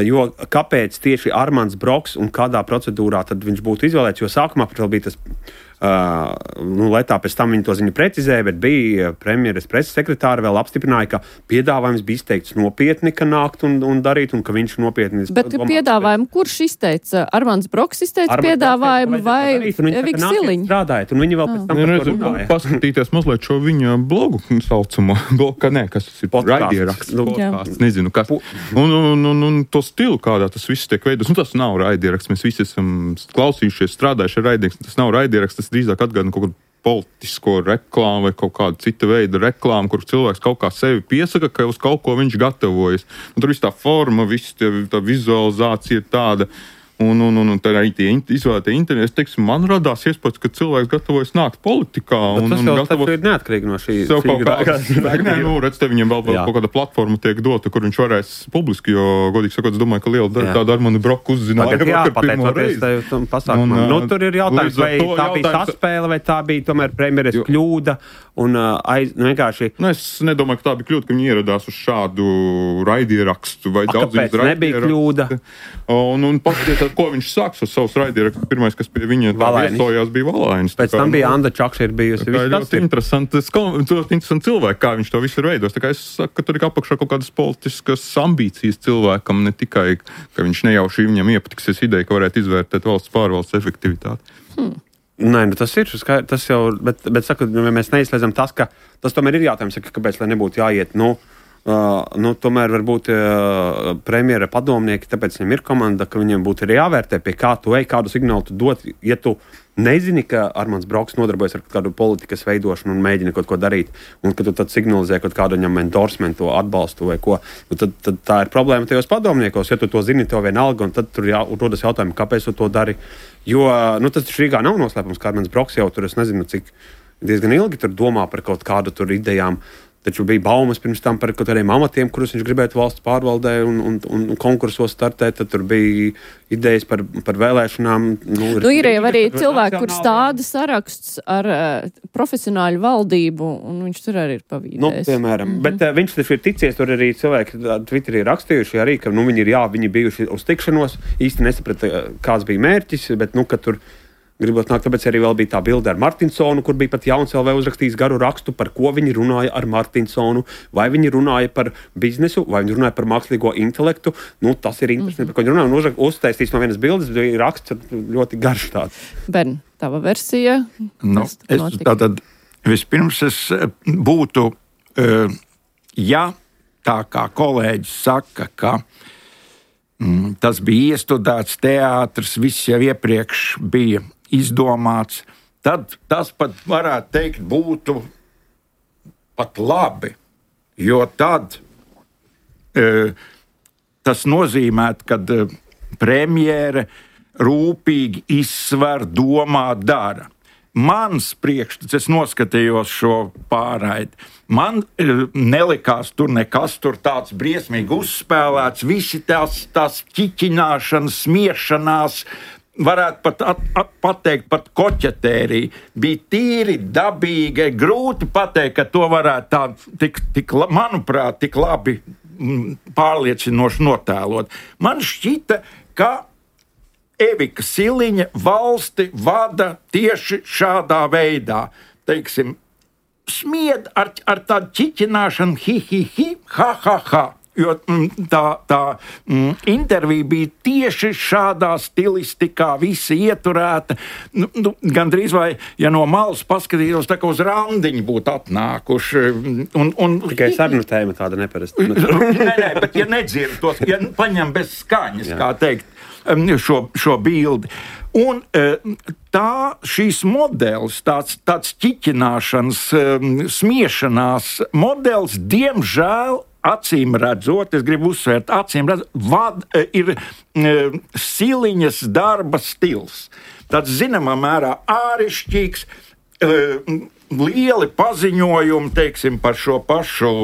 Jo kāpēc tieši Armands Broks un kādā procedūrā tad viņš būtu izvēlēts, jo sākumā pat vēl bija tas, uh, nu, lai tā pēc tam viņi to ziņu precizēja, bet bija premjeras preses sekretāra vēl apstiprināja, ka piedāvājums bija izteikts nopietni, ka nākt un, un darīt, un ka viņš nopietni... Bet domāts, piedāvājumu, bet... kurš izteica? Armands Broks izteica Armands piedāvājumu vai Eviks Siliņš? Strādājot, un viņi vēl pēc tam ah. par to runāja. Paskatīties mazliet šo viņa blogu saucamo, ka nē, kas tas ir? Raidieraksts, podcasts, nezinu, kas. Un, un, un, un to stilu, kādā tas viss tiek veidots. Nu, tas nav raidieraksts. Mēs visi esam klausījušies, strādājuši ar raidierakstu. Tas nav raidieraksts, tas drīzāk atgādina kaut kādu politisko reklāmu vai kaut kādu cita veida reklāmu, kur cilvēks kaut kā sevi piesaka, ka uz kaut ko viņš gatavojas. Un tur viss tā forma, viss tā vizualizācija ir tāda. Un, un, un, un tā arī tie izvēlētie interesi, teiksim, man radās iespējas, ka cilvēks gatavojas nākt politikā. Bet un, tas un jau gatavo... ir neatkarīgi no šī Sev kaut figurā. kā, nē, nu, redz, te viņam vēl, vēl kaut kāda platforma tiek dota, kur viņš varēs publiski, jo, godīgi sakot, es domāju, ka liela daļa tāda Armani Broku uzzināja Tagad, jā, vakar pirmo reizi. pateicoties tam pasākumam. Un, Nu, tur ir jautājums, vai līdz ar to tā bija jautājums- saspēle, vai tā bija tomēr premjeras Jo- kļūda. Un uh, aiz, nu, vienkārši, Nu, es nedomāju, ka tā bija kļūda, ka viņi ieradās uz šādu raidierakstu. Vai A, daudz kāpēc viņas nebija raidierakstu. kļūda? Un, un paskatieties, ko viņš sāks ar savus raidierakstu. Pirmais, kas pie viņa tā Valainis. viesojās, bija Valainis. pēc Tā kā, tam bija nu, Anda Čakša ir bijusi. Tā Viss ir tas ļoti ir. interesanti, ļoti interesanti cilvēki, kā viņš to visu ir veidojis. Tā kā es saku, ka tur ir apakšā kaut kādas politiskas ambīcijas cilvēkam, ne tikai, ka viņš nejauši viņam iepatiksies ideja, ka varētu izvērtēt valsts pārvaldes efektivitāti. Hmm. Nē, nu tas ir, skar- tas jau, bet, bet saku, nu, mēs neizslēdzam tas, ka tas tomēr ir jautājums, ka kāpēc, lai nebūtu jāiet, nu, uh, nu tomēr varbūt uh, premjera padomnieki, tāpēc viņam ir komanda, ka viņiem būtu arī jāvērtē, pie kā tu ej, kādu signālu tu dod, ja tu nezini, ka Armāns Broks nodarbojas ar kādu politikas veidošanu un mēģina kaut ko darīt, un ka tu tad signalizē kaut kādu viņam endorsementu, atbalstu vai ko, nu, tad, tad tā ir problēma tajos padomniekos. Ja tu to zini, tev vienalga, un tad tur jā, rodas jautājumi, kāpēc tu to dari. Jo nu, tas taču Rīgā nav noslēpums, ka Armāns Broks jau tur, es nezinu, cik diezgan ilgi tur domā par kaut kādu tur idejām. Taču bija baumas pirms tam par kaut kādiem amatiem, kurus viņš gribētu valsts pārvaldē un, un, un konkursos startēt. Tad tur bija idejas par, par vēlēšanām. Nu, Nu, ir jau arī cilvēki, kur stāda saraksts ar uh, profesionāļu valdību, un viņš tur arī ir pavīdējis. Nu, piemēram, mm -hmm. Bet uh, viņš taču ir ticies, tur arī cilvēki Twitterī rakstījuši, arī, ka nu, viņi ir jā, viņi bijuši uz tikšanos, īsti nesaprata, kāds bija mērķis, bet nu, ka tur gribot nākt, tāpēc arī vēl bija tā bilde ar Martinsonu, kur bija pat Jauns L V uzrakstījis garu rakstu, par ko viņi runāja ar Martinsonu, vai viņi runāja par biznesu, vai viņi runāja par mākslīgo intelektu. Nu, tas ir interesanti, mm -hmm. par ko viņi runāja. Un uztaisīs no vienas bildes, bija raksts ļoti garš tāds. Ben, tava versija? Nu, Kas es, notika? tātad, vispirms es eh, būtu, eh, ja tā kā kolēģis saka, ka mm, tas bija iestudēts teātris, viss jau iepriekš bija izdomāts, tad tas pat varētu teikt būtu pat labi, jo tad e, tas nozīmē, ka e, premjere rūpīgi izsver, domā, dara. Mans priekšstats, es noskatījos šo pārraidi, man e, nelikās tur nekas tur tāds briesmīgi uzspēlēts, visi tās, tās ķiķināšanas, smiešanās, varētu pat at, at, pateikt, pat koķetērija. Bija tīri dabīgi, grūti pateikt, ka to varētu tā, tik, tik, manuprāt, tik labi m, pārliecinoši notēlot. Man šķita, ka Evika Siliņa valsti vada tieši šādā veidā. Teiksim, smied ar, ar tādu ķiķināšanu, hi, hi, hi, ha, ha, ha. Jo tā, tā mm, intervija bija tieši šādā stilistikā, visi ieturēta. Nu, nu, Gan drīz vai, ja no malas paskatītos, tā kā uz randiņu būtu atnākuši. Un, un, Tikai sarunu tēma tāda neparasta. nē, nē, bet ja nedzird tos, ja paņem bez skaņas, Jā. kā teikt, šo, šo bildi. Un tā šīs modelis, tāds, tāds ķiķināšanas, smiešanās modelis, diemžēl, acīm redzot, es gribu uzsvērt, acīm redzot, vad, ir e, Siliņas darba stils. Tāds zināmā mērā ārišķīgs, e, lieli paziņojumi, teiksim, par šo pašu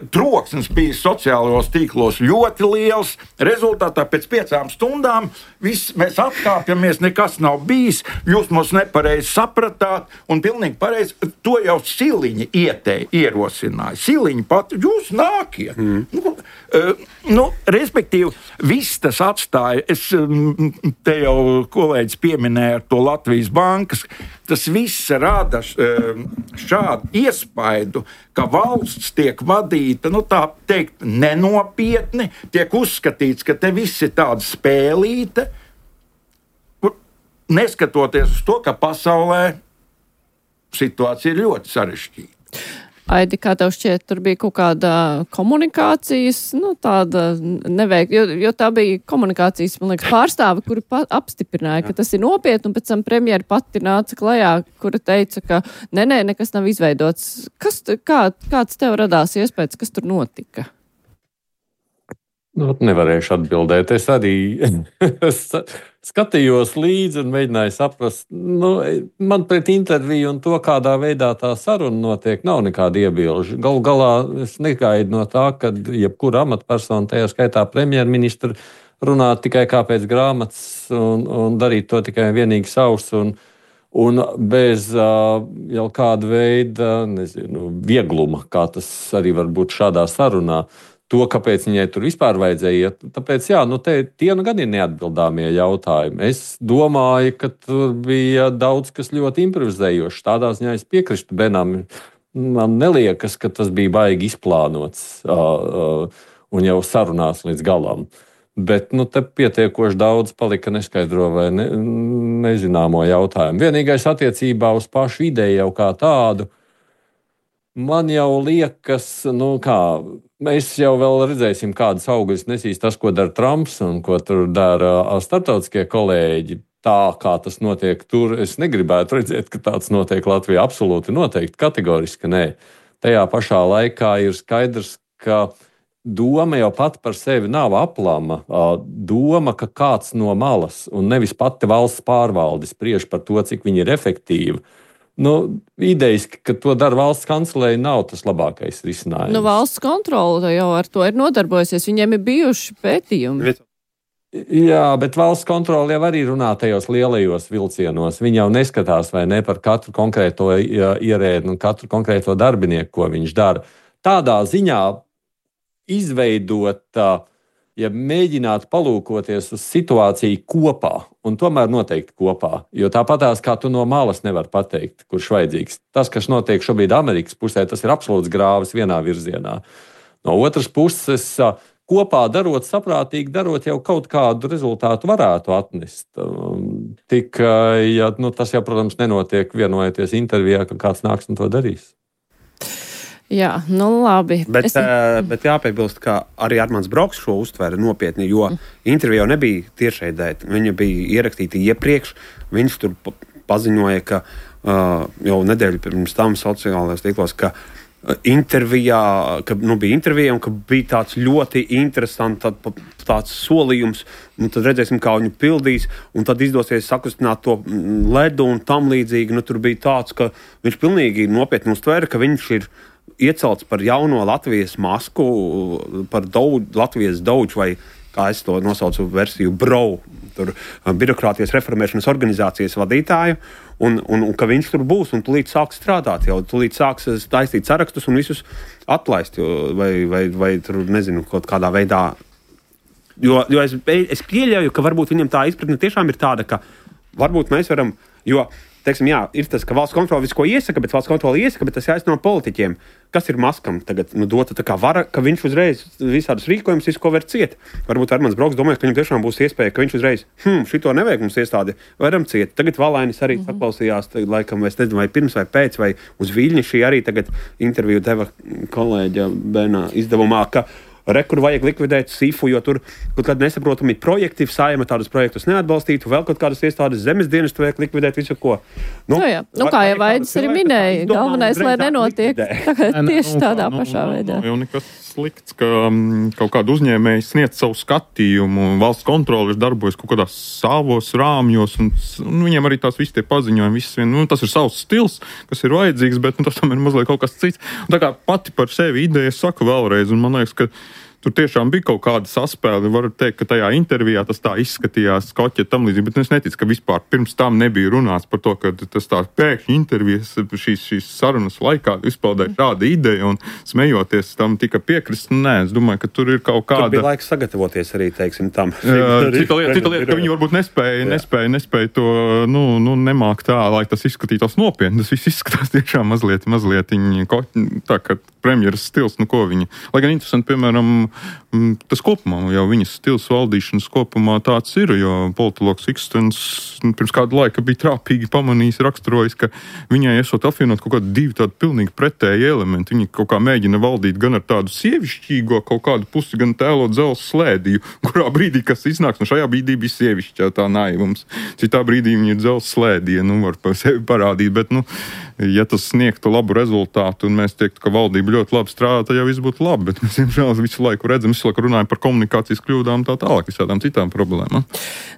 troksnis bija sociālajos tīklos ļoti liels. Rezultātā pēc piecām stundām viss, mēs atkāpjamies, nekas nav bijis, jūs mums nepareizi sapratāt, un pilnīgi pareizi to jau Siliņa ietēja, ierosināja. Siliņa pat, jūs nākiet. Mm. Nu, uh, nu, respektīvi, viss tas atstāja, es te jau kolēģis pieminēja ar to Latvijas bankas, tas viss rada šādu iespaidu, ka valsts tiek vadīta, nu tā teikt, nenopietni, tiek uzskatīts, ka te viss ir tāda spēlīte, neskatoties uz to, ka pasaulē situācija ir ļoti sarežģīta. Aidi, kā tev šķiet, tur bija kaut kāda komunikācijas, nu tāda neveik, jo, jo tā bija komunikācijas, man liekas, pārstāve, kuri apstiprināja, ka tas ir nopietni, un pēc tam premjera pati nāca klajā, kura teica, ka nē, nē, nekas nav izveidots. Kas, kā, kāds tev radās iespējas, kas tur notika? Nu, nevarēšu atbildēt. Es arī skatījos līdzi un mēģināju saprast, nu, man pret interviju un to, kādā veidā tā saruna notiek, nav nekāda iebilžu. Galu galā es negaidu no tā, ka jebkura amatpersona, tajā skaitā premjerministra, runā tikai kā pēc grāmatas un, un darīt to tikai vienīgi savs un, un bez uh, jau kāda veida, nezinu, viegluma, kā tas arī var būt šādā sarunā. To, kāpēc viņai tur vispār vajadzēja iet. Tāpēc, jā, nu te tie nu gan ir neatbildāmie jautājumi. Es domāju, ka tur bija daudz kas ļoti improvizējošs. Tādā ziņā es piekristu Benam. Man neliekas, ka tas bija baigi izplānots uh, uh, un jau sarunās līdz galam. Bet nu, te pietiekoši daudz palika neskaidro vai ne, nezināmo jautājumu. Vienīgais attiecībā uz pašu ideju jau kā tādu, man jau liekas, nu kā, mēs jau vēl redzēsim, kādas augļus nesīs tas, ko dara Trumps un ko tur dara starptautiskie kolēģi. Tā, kā tas notiek tur, es negribētu redzēt, ka tāds notiek Latvijā. Absolūti noteikti, kategoriski nē. Tajā pašā laikā ir skaidrs, ka doma jau pat par sevi nav aplama. Doma, ka kāds no malas un nevis pati valsts pārvalde spriež par to, cik viņi ir efektīvi. Nu, idejiski, ka to dara valsts kancelēja, nav tas labākais risinājums. Nu, valsts kontrole jau ar to ir nodarbojusies. Viņiem ir bijuši pētījumi. Jā, bet valsts kontrole jau arī runā tajos lielajos vilcienos. Viņi jau neskatās vai ne par katru konkrēto ierēdni un katru konkrēto darbinieku, ko viņš dara. Tādā ziņā izveidot, ja mēģināt palūkoties uz situāciju kopā, un tomēr noteikti kopā, jo tāpatās kā tu no malas nevar pateikt, kurš vajadzīgs. Tas, kas notiek šobrīd Amerikas pusē, tas ir absolūts grāvis vienā virzienā. No otras puses, kopā darot, saprātīgi darot, jau kaut kādu rezultātu varētu atnest. Tikai, ja, nu, tas jau, protams, nenotiek vienojoties intervijā, ka kāds nāks un to darīs. Jā, nu labi. Bet, es... uh, bet jāpiebilst, ka arī Armands Broks šo uztvēra nopietni, jo mm. intervija jau nebija tiešraidē. Viņa bija ierakstīta iepriekš. Viņš tur paziņoja, ka uh, jau nedēļu pirms tam sociālajos tīklos, ka uh, intervijā, ka nu, bija intervija un ka bija tāds ļoti interesants tā, tāds solījums. Un tad redzēsim, kā viņu pildīs, un tad izdosies sakustināt to ledu un tam līdzīgi. Nu, tur bija tāds, ka viņš pilnīgi nopietni uztvēra, ka viņš ir iecelts par jauno Latvijas masku, par daudz, Latvijas daudžu, vai kā es to nosaucu versiju, brau, tur birokrātijas reformēšanas organizācijas vadītāju, un, un, un ka viņš tur būs, un tūlīt sāks strādāt, jau tūlīt sāks taistīt sarakstus un visus atlaist, jo, vai, vai, vai tur, nezinu, kaut kādā veidā. Jo, jo es, es pieļauju, ka varbūt viņam tā izpratne tiešām ir tāda, ka varbūt mēs varam, jo, teiksim, jā, ir tas, ka valsts kontrole visu ko iesaka, bet valsts kontrole iesaka, bet tas jāizno politiķiem. Kas ir Maskam tagad nu, dota tā kā vara, ka viņš uzreiz visādus rīkojumus, visu ko var ciet. Varbūt Armands Broks domāja, ka viņam tiešām būs iespēja, ka viņš uzreiz, hm, šito nevajag mums iestādi, varam ciet. Tagad Valainis arī mm-hmm. saklausījās, tagad, laikam, es nezinu, vai pirms vai pēc, vai uz Viļņa šī arī tagad interviju deva kolēģa Bena izdevumā, ka re, kur vajag likvidēt Sifu, jo tur kaut kādi nesaprotami projekti, Saeima tādus projektus neatbalstītu, vēl kaut kādas iestādes zemes dienestu vajag likvidēt visu ko. Nu, nu, jā. Nu kā jau Vaidis arī minēja, galvenais, lai nenotiek tieši tādā nu, pašā nu, veidā. Jau nekas slikts, ka um, kaut kāda uzņēmēja sniedz savu skatījumu, valsts kontrole ir darbojas kaut kādās savos rāmjos, un, un viņiem arī tās visi tie paziņojumi, visas vien, nu, tas ir savs stils, kas ir vajadzīgs, bet nu, tas tam ir mazliet kaut kas cits. Un tā kā pati par sevi ideja, es saku vēlreiz, un man liekas, ka tur tiešām bija kaut kāda saspēle. Varu teikt, ka tajā intervijā tas tā izskatījās skoķi tam līdzīgi, bet es neticu, ka vispār pirms tam nebija runāts par to, ka tas tā pēkšņi intervijas šīs, šīs sarunas laikā izpaudēja šāda ideja un smejoties tam tika piekrist. Nē, es domāju, ka tur ir kaut kāda... Tur bija laiks sagatavoties arī, teiksim, tam. Jā, cita lieta, cita lieta, ka viņi varbūt nespēja, nespēja, nespēja to, nu, nu nemāk tā, lai tas izskatītos nopietni. Tas viss izskatās tiešām mazliet, mazliet viņi, tā kā premjeras stils, nu ko viņi. Lai gan interesanti, piemēram, tas kopumā, jau viņas stils valdīšanas kopumā tāds ir, jo politologs Ikstens pirms kādu laika bija trāpīgi pamanījis, raksturojis, ka viņai esot apvienot kaut kādu divi tādu pilnīgi pretēji elementi. Viņi kaut kā mēģina valdīt gan ar tādu sievišķīgo kaut kādu pusi, gan tēlot dzelzs slēdīju, kurā brīdī, kas iznāks, nu šajā brīdī bija sievišķā tā naivums. Citā brīdī viņi ir dzelzs slēdīja, nu var pa sevi parādīt, bet, nu, ja tas sniegtu labu rezultātu un mēs teiktu, ka valdība ļoti labi strādā, tad jau viss būtu labi, bet mēs, diemžēl, visu laiku redzam, visu laiku runājam par komunikācijas kļūdām tā tālāk, visādām citām problēmām.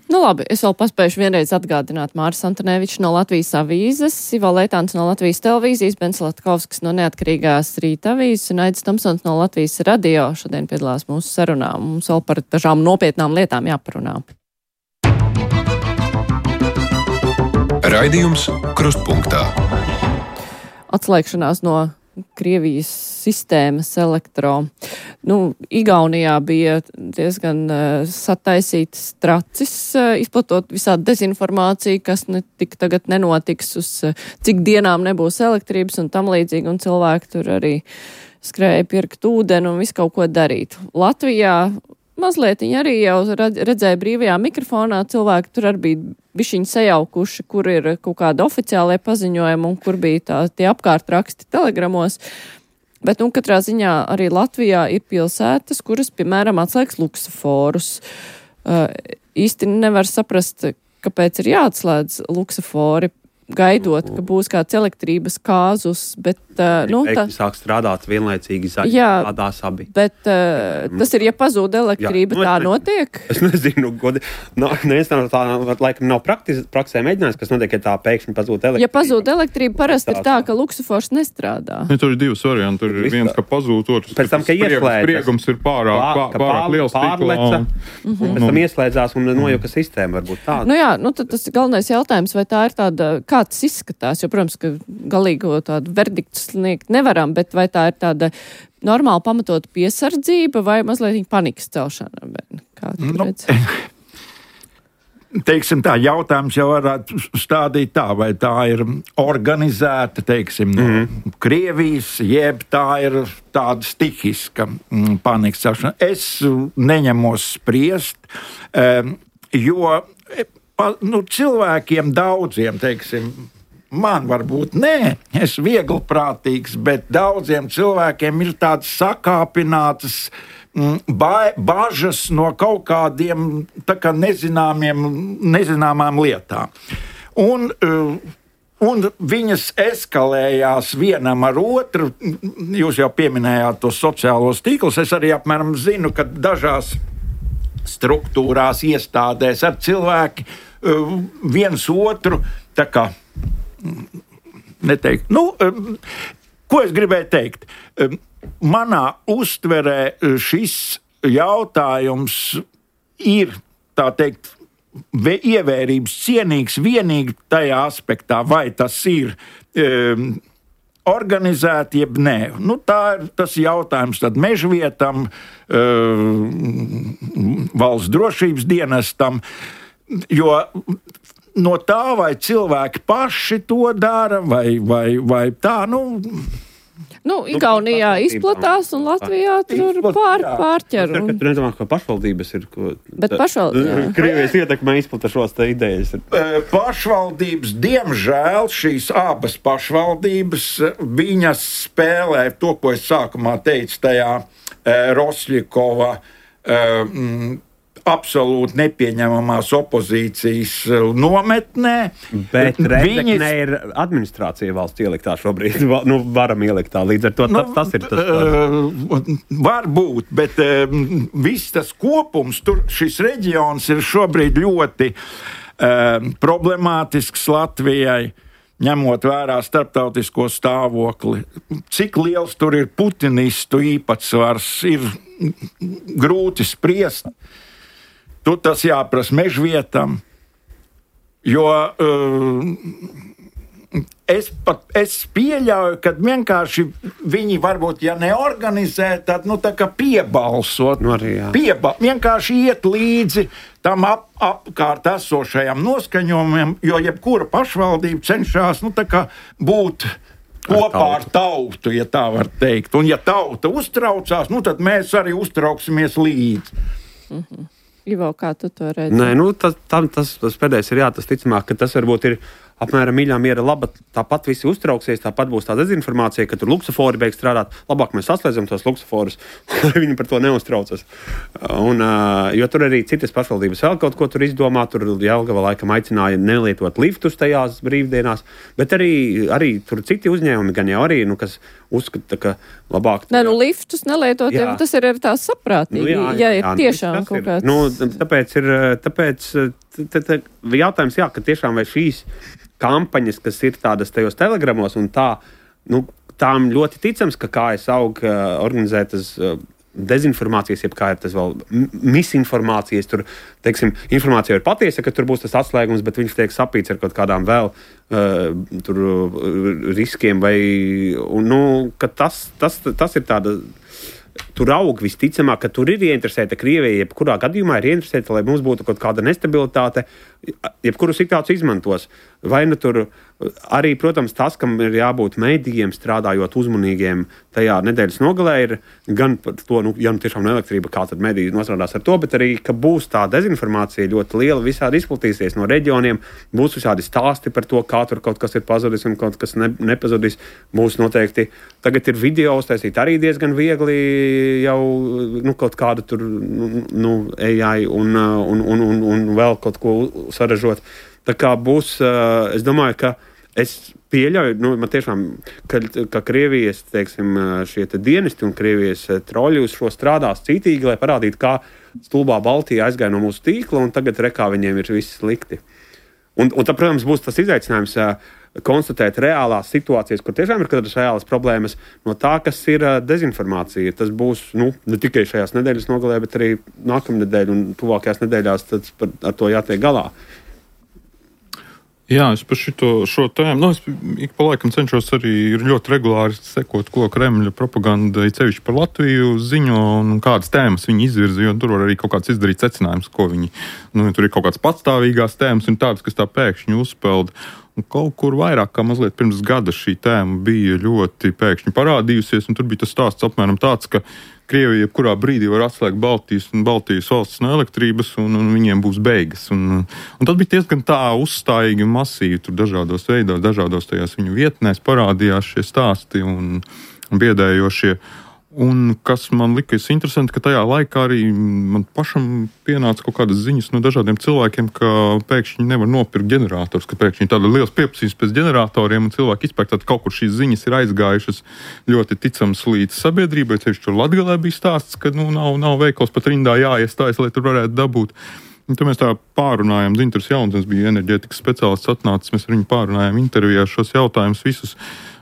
Nu labi, es vēl paspējuši vienreiz atgādināt Māris Antonevičs no Latvijas avīzes, Ivo Leitāns no Latvijas televīzijas, Bens Latkovskis no Neatkarīgās Rīta avīzes un Aidis Tomsons no Latvijas radio šodien piedalās mūsu sarunā. Mums vēl par dažām nopietnām lietām jāparunā. Raidījums Krustpunktā. Atslēgšanās no Krievijas sistēmas elektro. Nu, Igaunijā bija diezgan uh, sataisītas tracis, uh, izplatot visādi dezinformāciju, kas ne, tik tagad nenotiks, uz uh, cik dienām nebūs elektrības un tam līdzīgi, un cilvēki tur arī skrēja pirkt ūdeni un visu kaut ko darīt. Latvijā mazliet viņi arī jau redzēja brīvajā mikrofonā, cilvēki tur arī bija bišķiņi sajaukuši, kur ir kaut kāda oficiālajā paziņojuma un kur bija tā, tie apkārtraksti telegramos. Bet, nu, katrā ziņā arī Latvijā ir pilsētas, kuras, piemēram, atslēgs luksuforus. Uh, īsti nevar saprast, kāpēc ir jāatslēdz luksufori, gaidot, ka būs kāds elektrības kāzus, bet, uh, nu, tā... sāk strādāt vienlaicīgi zaļi, tādās abi. Bet uh, tas ir, ja pazūd elektrība, jā, nu, tā es, notiek? Es nezinu, godi, no, neviens no tā, laikam nav praktis, praksē mēģinājums, kas notiek, ja tā pēkšņi pazūd elektrība. Ja pazūd elektrība, parasti ir tā, ka luksufors nestrādā. Ja, tur ir divas varianti, tur ir viens, ka pazūd, otrs, pēc tam, ka ieslēdzas. Spriegums ir pārāk, pār, pārāk liels pārleca, un, un pēc tam ieslēdzās un nojuka sistēma varbūt tāda. Nu jā, nu tad tas galvenais jautājums, vai tā ir tāda, kā tas izskatās, jo, protams, ka galīgo tādu verdiktu sniegt nevaram, bet vai tā ir tāda normāli pamatot piesardzība vai mazliet panikas celšana? Kā tu nu, redzi? Teiksim tā, jautājums jau varētu stādīt tā, vai tā ir organizēta, teiksim, no mm-hmm. Krievijas, jeb tā ir tāda stihiska mm, panikas celšana. Es neņemos spriest, um, jo pa, nu, cilvēkiem daudziem, teiksim, man varbūt nē, es vieglprātīgs, bet daudziem cilvēkiem ir tādas sakāpinātas ba- bažas no kaut kādiem tā kā nezināmiem, nezināmām lietām. Un, un viņas eskalējās vienam ar otru. Jūs jau pieminējāt tos sociālos tīklus. Es arī apmēram zinu, ka dažās struktūrās, iestādēs ar cilvēki viens otru tā kā neteikt. Nu, ko es gribēju teikt? Manā uztverē šis jautājums ir, tā teikt, ievērības cienīgs vienīgi tajā aspektā, vai tas ir um, organizēti, jeb nē. Nu, tā ir tas jautājums tad mežvietam, um, valsts drošības dienestam, jo no tā, vai cilvēki paši to dara, vai, vai, vai tā, nu... Nu, Igaunijā izplatās un Latvijā tur pār, pārķer. Un... Tur nedomā, ka pašvaldības ir... Ko, Bet pašvaldības... Krievijas ietekmē izplata šos te idejas. Pašvaldības, diemžēl, šīs abas pašvaldības, viņas spēlē to, ko es sākumā teicu tajā Rosļikova mm, absolūti nepieņemamās opozīcijas nometnē. Bet Rēzeknē Viņas... ir administrācija valsts ieliktā šobrīd, nu, varam ieliktā, līdz ar to nu, tas, tas ir tas. Uh, var būt, bet uh, viss tas kopums, tur šis reģions ir šobrīd ļoti uh, problemātisks Latvijai, ņemot vērā starptautisko stāvokli. Cik liels tur ir putinistu īpatsvars, ir grūti spriest. Tu tas jāprasa mežvietam, jo uh, es, pat, es pieļauju, ka vienkārši viņi varbūt, ja neorganizē, tad nu, tā kā piebalsot, nu arī, pieba, vienkārši iet līdzi tam ap, apkārt esošajam noskaņojumam, jo jebkura pašvaldība cenšas nu, tā kā būt kopā ar tautu, ja tā var teikt. Un ja tauta uztraucās, nu, tad mēs arī uztrauksimies līdzi. Mhm. Ivo, kā tu to redzi? Nē, nu, tas, tam, tas, tas pēdējais ir jā, tas ticamāk, ka tas varbūt ir apmēram mīļā miera laba, tāpat visi uztrauksies, tāpat būs tā dezinformācija, ka tur luksofori beigs strādāt. Labāk mēs saslēdzam tos luksoforus, lai viņi par to neuztraucas. Un, jo tur arī citas pašvaldības vēl kaut ko tur izdomā, tur Jelgava laikam aicināja nelietot liftus tajās brīvdienās, bet arī, arī tur citi uzņēmumi gan jau arī, nu, kas uzskata, ka labāk... Nē, nu liftus nelietot, jā. Jau tas ir arī tās saprātīgi, nu, jā, jā, ja ir jā, tiešām kaut kāds... Nu, tāpēc ir, tāpēc t, t, jautājums, jā, ka tiešām vai šīs kampaņas, kas ir tādas tajos telegramos un tā, nu, tām ļoti ticams, ka kā es aug organizētas dezinformācijas, jeb kā ir tas vēl misinformācijas, tur, teiksim, informācija ir patiesa, ka tur būs tas atslēgums, bet viņš tiek sapīts ar kaut kādām vēl uh, tur riskiem vai, un, nu, ka tas, tas, tas ir tāda... Tur aug visticamāk, ka tur ir ieinteresēta Krievija, jebkurā gadījumā ir ieinteresēta, lai mums būtu kaut kāda nestabilitāte, jebkuru situāciju izmantos. Vai nu tur arī, protams, tas, kam ir jābūt mēdījiem strādājot uzmanīgiem tajā nedēļas nogalē, ir gan par to, nu, ja nu tiešām elektrība, kā tad mēdīji nostrādās ar to, bet arī, ka būs tā dezinformācija ļoti liela, visādi izplatīsies no reģioniem, būs visādi stāsti par to, kā tur kaut kas ir pazudis un kaut kas ne, nepazudis. Būs noteikti, tagad ir video uztaisīt arī diezgan viegli jau, nu, kaut kādu tur, nu, A I un, un, un, un, un vēl kaut ko saražot. Tā kā būs, es domāju, ka es pieļauju, nu, man tiešām, ka, ka Krievijas, teiksim, šie te dienesti un Krievijas troļi uz šo strādās cītīgi, lai parādītu, kā stulbā Baltija aizgāja no mūsu tīkla, un tagad rekā viņiem ir viss slikti. Un, un tā, protams, būs tas izaicinājums konstatēt reālās situācijas, kur tiešām ir kādas reālas problēmas no tā, kas ir dezinformācija. Tas būs, nu, ne tikai šajās nedēļas nogalē, bet arī nākamnedēļ un tuvākajās nedēļās tad par, ar to jātiek galā. Jā, es par šito, šo tēmu, nu, es ik pa laikam cenšos arī ļoti regulāri sekot, ko Kremļa propaganda, cevišķi par Latviju ziņo un kādas tēmas viņi izvirza, jo tur var arī kaut kāds izdarīt secinājums, ko viņi, nu, tur ir kaut kāds patstāvīgās tēmas un tādas, kas tā pēkšņi uzpeld. Un kaut kur vairāk kā mazliet pirms gada šī tēma bija ļoti pēkšņi parādījusies, un tur bija tas stāsts apmēram tāds, ka Krievija jebkurā brīdī var atslēgt Baltijas un Baltijas valsts no elektrības, un, un viņiem būs beigas. Un, un tas bija diezgan tā uzstājīgi un masīvi, tur dažādos veidos, dažādos tajās viņu vietnēs parādījās šie stāsti un, un biedējošie. Un kas man likas interesanti, ka tajā laikā arī man pašam pienāca kaut kādas ziņas no dažādiem cilvēkiem, ka pēkšņi nevar nopirkt ģenerators, ka pēkšņi tāda liels pieprasījums pēc ģeneratoriem un cilvēki izpērk, tad kaut kur šīs ziņas ir aizgājušas ļoti ticams līdz sabiedrībai. Tieši tur Latgalē bija stāsts, ka nu, nav, nav veikals pat rindā jāiestājas, lai tur varētu dabūt. Un tad mēs tā pārunājām, Dzintars Jauns bija enerģētikas speciālists atnācis, mēs ar viņu pārunājām intervijā šos jautājumus visus.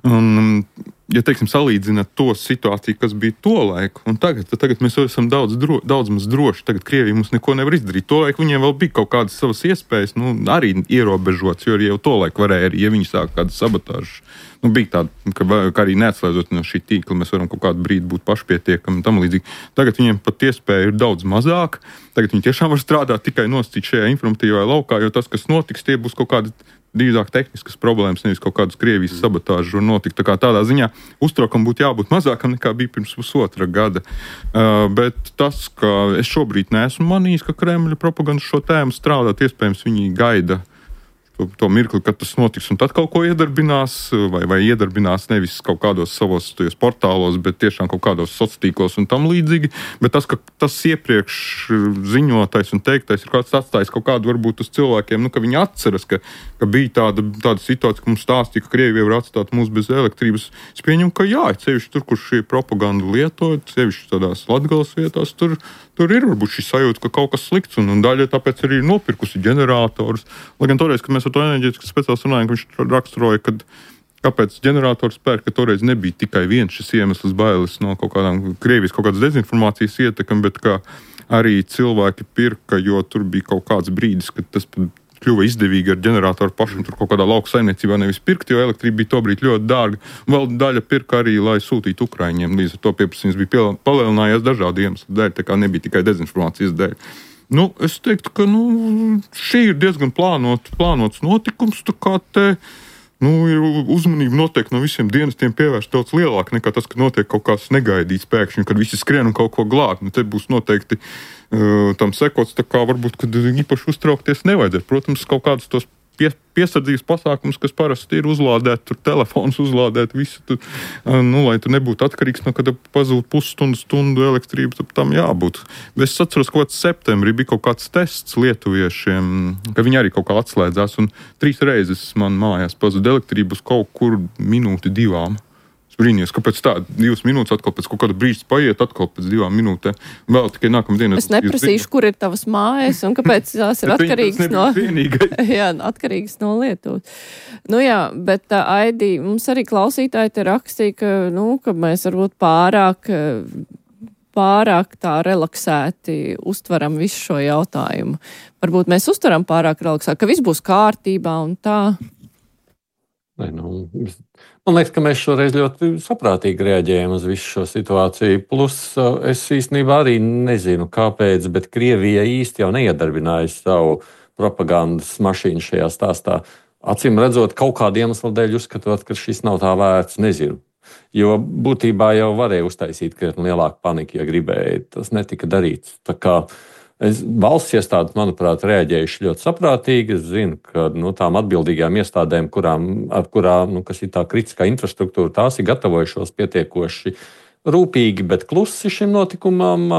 Un, ja, teiksim, salīdzināt to situāciju, kas bija to laiku, un tagad, tad tagad mēs esam daudz, dro, daudz maz droši. Tagad Krievija mums neko nevar izdarīt. To laiku viņiem vēl bija kaut kādas savas iespējas, nu, arī ierobežots, jo jau to laiku varēja arī, ja viņi sāk kādu sabotāžu. Nu, bija tāda, ka, ka arī neatslēdzot no šī tīkla, mēs varam kaut kādu brīdi būt pašpietiekami un tam līdzīgi. Tagad viņiem pat iespēja ir daudz mazāk. Tagad viņi tiešām var strādāt tikai nosacīt šajā informatīvajā laukā, jo tas, kas notiks, tie būs kaut kādi drīzāk tehniskas problēmas, nevis kaut kādas Krievijas sabotāžas var notikt. Tā kā tādā ziņā uztraukam būtu jābūt mazākam nekā bija pirms pusotra gada. Uh, bet tas, ka es šobrīd neesmu manījis, ka Kremļa propaganda šo tēmu strādāt, iespējams viņi gaida to, to mirkli, kad tas notiks, un tad kaut ko iedarbinās, vai, vai iedarbinās nevis kaut kādos savos tajos portālos, bet tiešām kaut kādos sociālos un tam līdzīgi. Bet tas, ka tas iepriekš ziņotais un teiktais ir kāds atstājis kaut kādu varbūt uz cilvēkiem, nu, ka viņi atceras, ka, ka bija tāda, tāda situācija, ka mums stāstīja, ka Krievija var atstāt mūs bez elektrības. Es pieņemu, ka jā, sevišķi tur, kur šī propaganda lietot, sevišķi tādās Latgales vietās, tur, tur ir varbūt šī sajūta, ka kaut kas slikts, un, un daļa tāpēc arī ir nopirkusi ģeneratorus. Lai gan toreiz, kad mēs ar to enerģētikas speciālistu runājām, ka viņš raksturoja, kad kāpēc ģenerators pērk, ka toreiz nebija tikai viens šis iemesls bailes no kaut kādām Krievijas, kaut kādas dezinformācijas ietekmi, bet ka arī cilvēki pirka, jo tur bija kaut kāds brīdis, kad tas kļuva izdevīgi ar ģeneratoru pašam tur kaut kādā lauku saimniecībā nevis pirkt, jo elektrība bija tobrīd ļoti dārga. Vēl daļa pirka arī, lai sūtītu Ukraiņiem. Līdz ar to pieprasījums bija palielinājies dažādu iemeslu dēļ, tā kā nebija tikai dezinformācijas dēļ. Nu, es teiktu, ka nu, šī ir diezgan plānot, plānots notikums, tā kā te nu, ir uzmanība noteikti no visiem dienestiem pievērst daudz lielāk nekā tas, ka notiek kaut kāds negaidīts pēkšņi, kad visi skrien un kaut ko glāb. Nu, te būs noteikti uh, tam sekots, tā kā varbūt, kad īpaši uztraukties nevajadzētu. Protams, kaut kādus tos pie, piesardzības pasākums, kas parasti ir uzlādēt, tur telefons uzlādēt, visu, tur, nu, lai tu nebūtu atkarīgs, no kad pazūd pusstundu, stundu elektrību, tad tam jābūt. Es atceros, ka septembrī bija kaut kāds tests lietuviešiem, ka viņi arī kaut kā atslēdzās, un trīs reizes man mājās pazūd elektrību uz kaut kur minūti divām. Brīnījos, kāpēc tā divas minūtes, atkal pēc kaut kāda brīža paiet, atkal pēc divām minūtēm. Vēl tikai nākamā dienā. Es neprasīšu, kur ir tavas mājas un kāpēc tās ir atkarīgas no, jā, atkarīgas no Lietuvas. Nu jā, bet tā Aidi, mums arī klausītāji te rakstīja, ka, nu, ka mēs varbūt pārāk, pārāk tā relaksēti uztveram visu šo jautājumu. Varbūt mēs uztveram pārāk relaksēti, ka viss būs kārtībā un tā. Ne, nu, man liekas, ka mēs šoreiz ļoti saprātīgi reaģējam uz visu šo situāciju. Plus es īstenībā arī nezinu, kāpēc, bet Krievija īsti jau neiedarbināja savu propagandas mašīnu šajā stāstā. Acīm redzot, kaut kādu iemeslu dēļ uzskatot, ka šis nav tā vērts, nezinu. Jo būtībā jau varēja uztaisīt krietni lielāku paniku, ja gribēja. Tas netika darīts. Tā kā Es, valsts iestādes, manuprāt, reaģējuši ļoti saprātīgi. Es zinu, ka nu, tām atbildīgajām iestādēm, kurām, ar kurām, nu, kas ir tā kritiskā infrastruktūra, tās ir gatavojušos pietiekoši rūpīgi, bet klusi šim notikumam,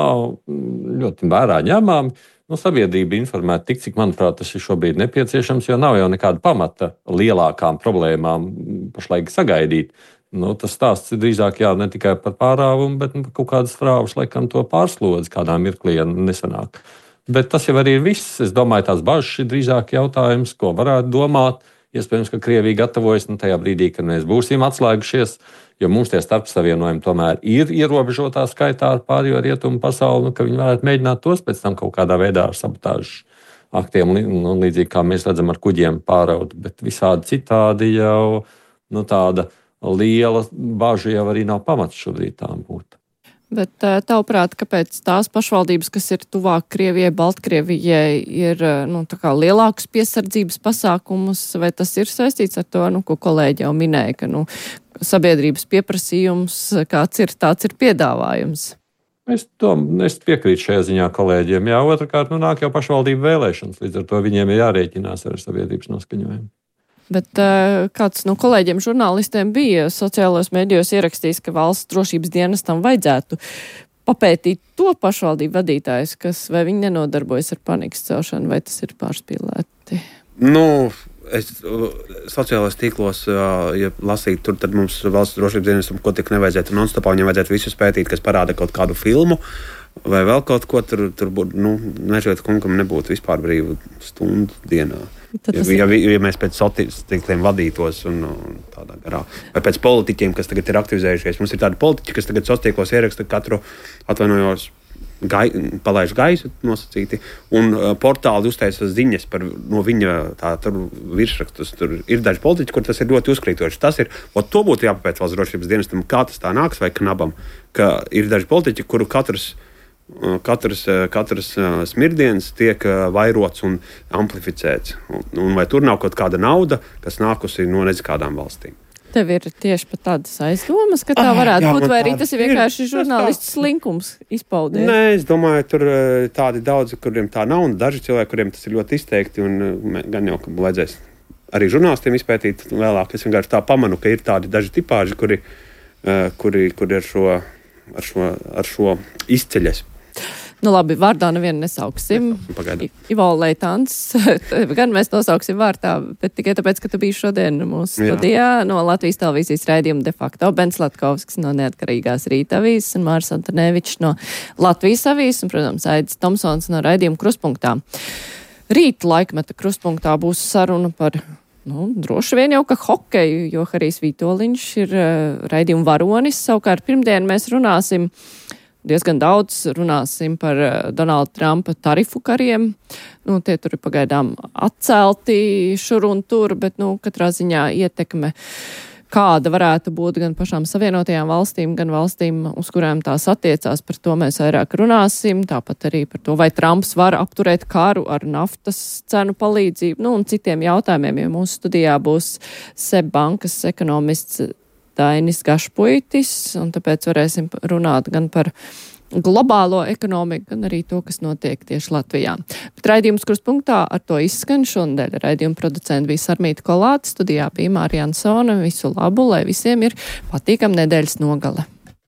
ļoti vērā ņemami. Nu, sabiedrība informēta tik, cik, manuprāt, tas ir šobrīd nepieciešams, jo nav jau nekāda pamata lielākām problēmām pašlaik sagaidīt. Nu, tas stāsts ir drīzāk jā, ne tikai par pārāvumu, bet nu, kaut kādas frāvas, laikam, to pārslodzi kādā mirklī nesanāk. Bet tas jau arī ir viss. Es domāju, tās bažas ir drīzāk jautājums, ko varētu domāt. Iespējams, ka Krievija gatavojas nu, tajā brīdī, kad mēs būsim atslēgušies, jo mums tie starpsavienojumi tomēr ir ierobežotā skaitā ar pārējo rietumu pasauli, nu, ka viņi varētu mēģināt tos pēc tam kaut kādā veidā ar sabotāžu aktiem, nu, līdzīgi kā mēs redzam ar kuģiem pāraut, bet visādi citādi jau nu, tāda liela bažu jau arī nav pamats šobrīd tām būt. Bet tavuprāt, kāpēc tās pašvaldības, kas ir tuvāk Krievijai, Baltkrievijai, ir nu, tā kā lielākus piesardzības pasākumus, vai tas ir saistīts ar to, nu, ko kolēģi jau minēja, ka nu, sabiedrības pieprasījums, kāds ir, tāds ir piedāvājums? Es, to, es piekrītu šajā ziņā kolēģiem. Jā, otrkārt, nu, nāk jau pašvaldību vēlēšanas, līdz ar to viņiem ir jārēķinās ar sabiedrības noskaņojumu. Bet uh, kāds no kolēģiem žurnālistiem bija sociālajos mēdījos ierakstījis, ka valsts drošības dienestam vajadzētu papētīt to pašvaldību vadītājus, kas vai viņi nenodarbojas ar panikas celšanu, vai tas ir pārspīlēti? Nu, es sociālajos tīklos, ja lasīt, tur tad mums valsts drošības dienestam, ko tik nevajadzētu non-stopā, viņam vajadzētu visu pētīt, kas parāda kaut kādu filmu, vai vēl kaut ko, tur, tur būtu, nu, nežēt kungam nebūtu vispār brīvu stundu dienā. Ja, ja, ja mēs pēc sociāliem vadītos un, un tādā garā, vai pēc politiķiem, kas tagad ir aktivizējušies. Mums ir tādi politiķi, kas tagad sociālos ieraksta katru atvainojos gai, palaiž gaisu nosacīti, un uh, portāli uztaisa ziņas par no viņa tā, tur virsrakstus. Tur ir daži politiķi, kur tas ir ļoti uzkrītoši. Tas ir, o, to būtu jāpapēc valsts drošības dienestam, kā tas tā nāks vai knabam, ka ir daži politiķi, kuru katrs Katrs, katrs smirdiens tiek vairots un amplificēts. Un, un vai tur nav kaut kāda nauda, kas nākusi no nezikādām valstīm? Tev ir tieši pat tādas aizdomas, ka tā varētu ah, jā, būt, vai arī tas ir vienkārši žurnālists slinkums izpaudēs? Nē, es domāju, tur tādi daudzi, kuriem tā nav, un daži cilvēki, kuriem tas ir ļoti izteikti, un gan jau, ka vajadzēs arī žurnālistiem izpētīt vēlāk. Es vienkārši tā pamanu, ka ir tādi daži tipāži, kuri, kuri, kuri ar, šo, ar, šo, ar šo izceļas. Nu labi, vārdā nevienu nesauksim. Ivo Leitāns, gan mēs nosauksim vārdā, bet tikai tāpēc, ka tu biji šodien mūsu studijā no Latvijas televīzijas raidījuma de facto. Bens Latkovskis no Neatkarīgās Rīta avīzes un Māris Antonevičs no Latvijas avīzes un, protams, Aidis Tomsons no raidījuma Krustpunktā. Rīt laikmeta Krustpunktā būs saruna par, nu, droši vien jau ka hokeju, jo Harijs Vitoļņš ir uh, raidījuma varonis. Savukārt pirmdien mēs runāsim diezgan daudz runāsim par Donalda Trumpa tarifu kariem. Nu, tie tur ir pagaidām atcelti šur un tur, bet, nu, katrā ziņā ietekme, kāda varētu būt gan pašām Savienotajām valstīm, gan valstīm, uz kurām tās attiecās, par to mēs vairāk runāsim. Tāpat arī par to, vai Trumps var apturēt karu ar naftas cenu palīdzību, nu, un citiem jautājumiem, jo mūsu studijā būs SEB bankas ekonomists Dainis Gašpuitis, un tāpēc varēsim runāt gan par globālo ekonomiku, gan arī to, kas notiek tieši Latvijā. Bet raidījums Krustpunktā ar to izskan šonadēļ. Raidījuma producenti bija Sarmīta Kolāte, studijā bija Mārija Ansone. Visu labu, lai visiem ir patīkam nedēļas nogale.